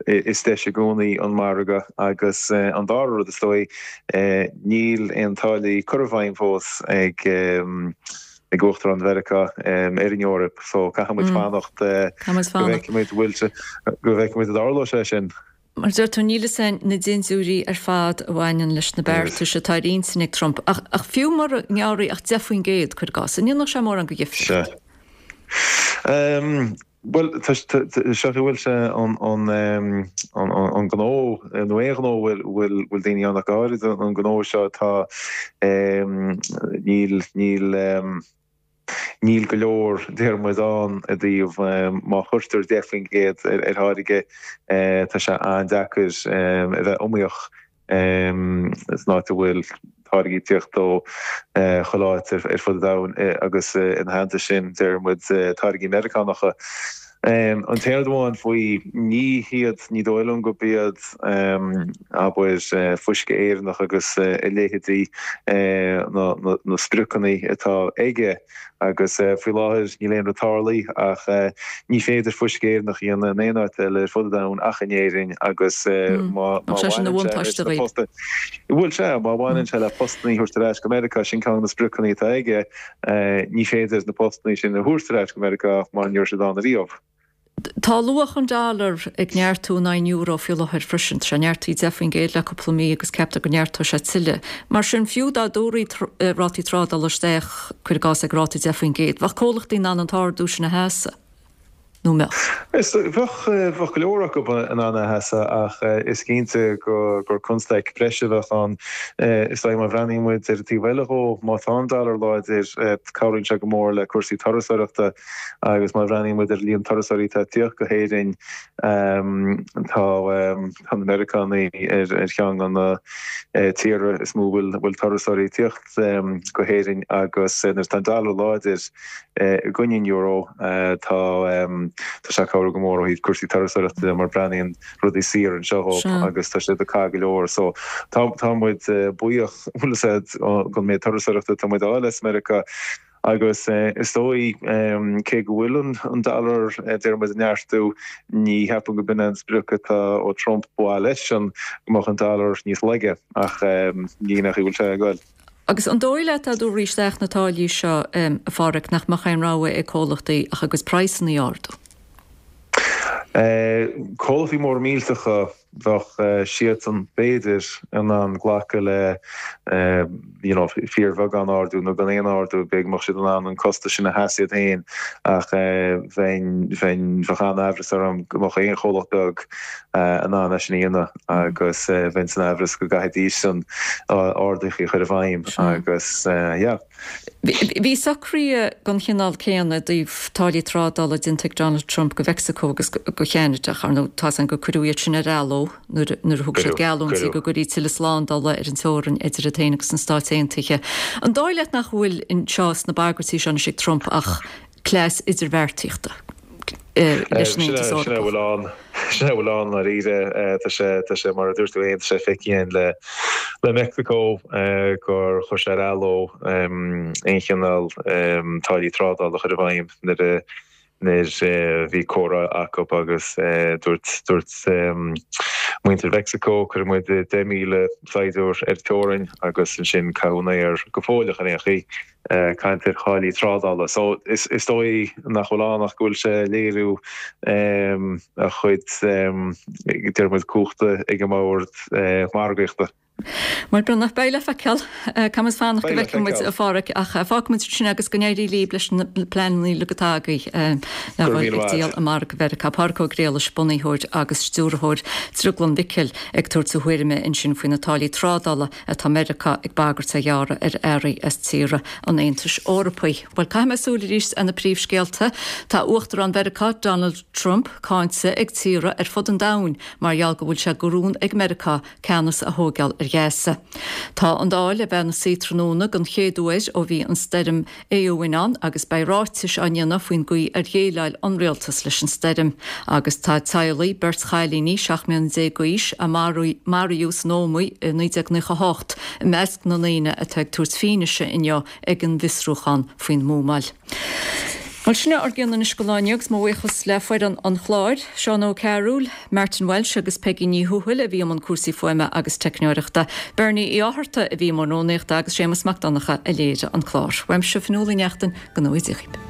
is deis i gcónaí an margadh agus an dara rud is dóigh, níl aon táillí curtha i bhfeidhm fós ag ag Uachtarán Mheiriceá ar an Eoraip so caithfidh muid fanacht go bhfeicfidh muid go bhfeicfidh muid an dtarlóidh sé sin. Mar a deir tú, níl fhios a'inn na dindiúirí ar fad a bhaineann leis na beartais atá ar intinn ag Trump, ach ach fiú mura ngearrfaí ach 10%, cuir i gcás, an ndéanfadh sé mórán de dhifríocht? Sea. Bhuel, tá seo go bhfuil sé an an gnó, nó aon ghnó a bhfuil bhfuil daoine ann ach go háirid an gnó seo atá níl níl Níl go leor, deir muid, ann i dtaobh má chuirtear 10% ar tháirge, tá sé an-deacair a bheith iomaíoch san áit a bhfuil táirgí ag tíocht ó chuile áit ar fud an domhain agus ina theannta sin, deir muid, táirgí Meiriceánacha. An t-aon rud amháin faoi, ní hiad, ní dóigh liom gurb iad, abair, fuisce Éireannach agus a leithéidí na spriocanna atá aige agus faoi láthair níl aon rud tarlaithe ach ní féidir fuisce Éireannach a dhéanamh in aon áit eile ar fud an domhain ach in Éirinn agus má bhaineann sé leis na postanna, bhuel sea, má bhaineann sé le postanna a thabhairt ar ais go Meiriceá, sin ceann de na spriocanna atá aige. Ní féidir na postanna sin a thabhairt ar ais go Meiriceá mar ní raibh siad ann ariamh. Tá luach an dollar ag neartú in aghaidh an euro faoi láthair freisin. Tá sé neartaithe 10% le cúpla mí agus ceaptar go neartóidh sé tuilleadh. Mar sin, fiú dá dtabharfaí rátaí trádála isteach, cuir i gcás, ag ráta 10%, bheadh comhlachtaí in ann an t-ardú sin a sheasamh. Nó an mbeadh? Is bheadh, bheadh go leor acu in ann é a sheasamh ach is cinnte gur constaic breise a bheadh ann. Is dóigh má bhreathnaíonn muid ar an taobh eile dhó, má tá an dollar láidir, cabhraíonn sé go mór le cúrsaí turasóireachta agus má bhreathnaíonn muid ar an líon turasóirí atá ag tíocht go hÉirinn, tá na Meiriceánaigh ar cheann de na tíortha is mó a bhfuil turasóirí ag tíocht go hÉirinn agus nuair atá an dollar láidir, I gcoinne an euro, tá tá sé ag cabhrú go mór ó thaobh cúrsaí turasóireachta de mar breathnaíonn rudaí saor anseo dhóibh agus tá siad ag caitheamh go leor. So tá tá muid buíoch, bhfuil fhios a'd, don méid turasóireachta atá muid a fháil as Meiriceá agus is dóigh cé go bhfuil an dollar deir muid ag neartú, ní cheapaim go b'in é an sprioc atá ó Trump ba mhaith leisean go mbeadh an dollar níos laige ach ní nach bhfuil sé ag goil. Agus an dóigh leat dá dtabharfaí isteach na táillí seo, a Pháraic, nach mbeadh aon rogha ag comhlachtaí ach a gcuid praghsanna a ardú? Comhlachtaí móra millteacha, bheadh siadsan, b'fhéidir, in ann glacadh le you know fíorbheagán ardú nó gan aon ardú, b'fhéidir go mbeadh siad in ann an costas sin a sheasamh iad féin ach bheinn, bheinn, bheadh an-aimhreas orm go mbeadh aon chomhlacht beag in ann é sin a dhéanamh. agus bheinn san aimhreas go gcaithfidís an arduithe a chur i bhfeidhm agus yeah. Bhí socruithe den chineál céanna i dtaobh táillí trádála déanta ag Donald Trump go Mheicsiceo agus go Cheanada ach ar ndóigh tá 's againn gur cuireadh iad sin ar athló nuair a thug siad geallúintí go gcuirfí tuilleadh slándála ar an teorainn idir iad féin agus na Stáit Aontaithe. An dóigh leat nach bhfuil anseo sna bagairtí seo anois ag Trump ach cleas idirbheartaíochta leis an Aontas Eorpach. Sin é a bhfuil ann. Sin é a bhfuil ann, ndáiríre. Tá sé, tá sé, mar a dúirt tú féin, tá sé feicthe againn le, le Meicsiceo gur chuir sé ar athló aon chineál táillí trádála a chur i bhfeidhm nuair a, nuair a bhí comhrá acu agus dúirt, dúirt muintir Mheicsiceo, cuirfidh muid 10,000 saighdiúir ar an teorainn agus ansin caitheadh in aer go fóilleach ar aon chaoi. caint ar tháillí trádála. So is dóigh nach bhfuil ann ach go bhfuil sé ag léiriú a chuid, deir muid, cumhachta ag an mbord margaíochta. Bhuel, Breathnach, beidh le feiceáil. Caithfidh muid fanacht go bhfeicfidh muid, a Pháraic, ach fágfaidh muid sin agus go n-éirí libh leis na pleananna uilig atá agaibh le dhul ag díol i margadh Mheiriceá. Páraic Ó Griallais, bunaitheoir agus stiúrthóir Drioglann Mhicil ag tabhairt a thuairime ansin faoi na táillí trádála atá Meiriceá ag bagairt a ghearradh ar earraí as tíortha an. an Aontais Eorpaigh. Bhuel, caithfidh mé súil arís ar na príomhscéalta. Tá Uachtarán Mheiriceá, Donald Trump, cáinte ag tíortha ar fud an domhain mar gheall go bhfuil sé de rún ag Meiriceá ceannas a thóigeáil ar Ghaza. Tá an Dáil a bheith ina suí tráthnóna den chéad uair ó bhí an stoirm Éowyn ann agus beidh ráitis á ndéanamh faoin gcaoi ar dhéileáil an rialtas leis an stoirm. Agus tá teaghlaigh beirt chailíní 17 mbliana d'aois a maraíodh san Ómaigh i 1998 i measc na ndaoine atá ag tabhairt fianaise inniu ag an bhfiosrúchán faoin mbuamáil. Bhuel, sin é ár gcion anois don lá inniu agus mo bhuíochas le foireann an chláir, Seán Ó Cearúil, Martin Walsh agus Peigí Ní Thuathail a bhí i mbun cúrsaí fuaime agus teicneoireachta, Bernie Uí Fhátharta a bhí i mbun rúnaíochta agus Séamus Mac Donncha a léirigh an clár. Uaimse, Fionnuala Ní Neachtain, go ngnóthaí Dia dhaoibh.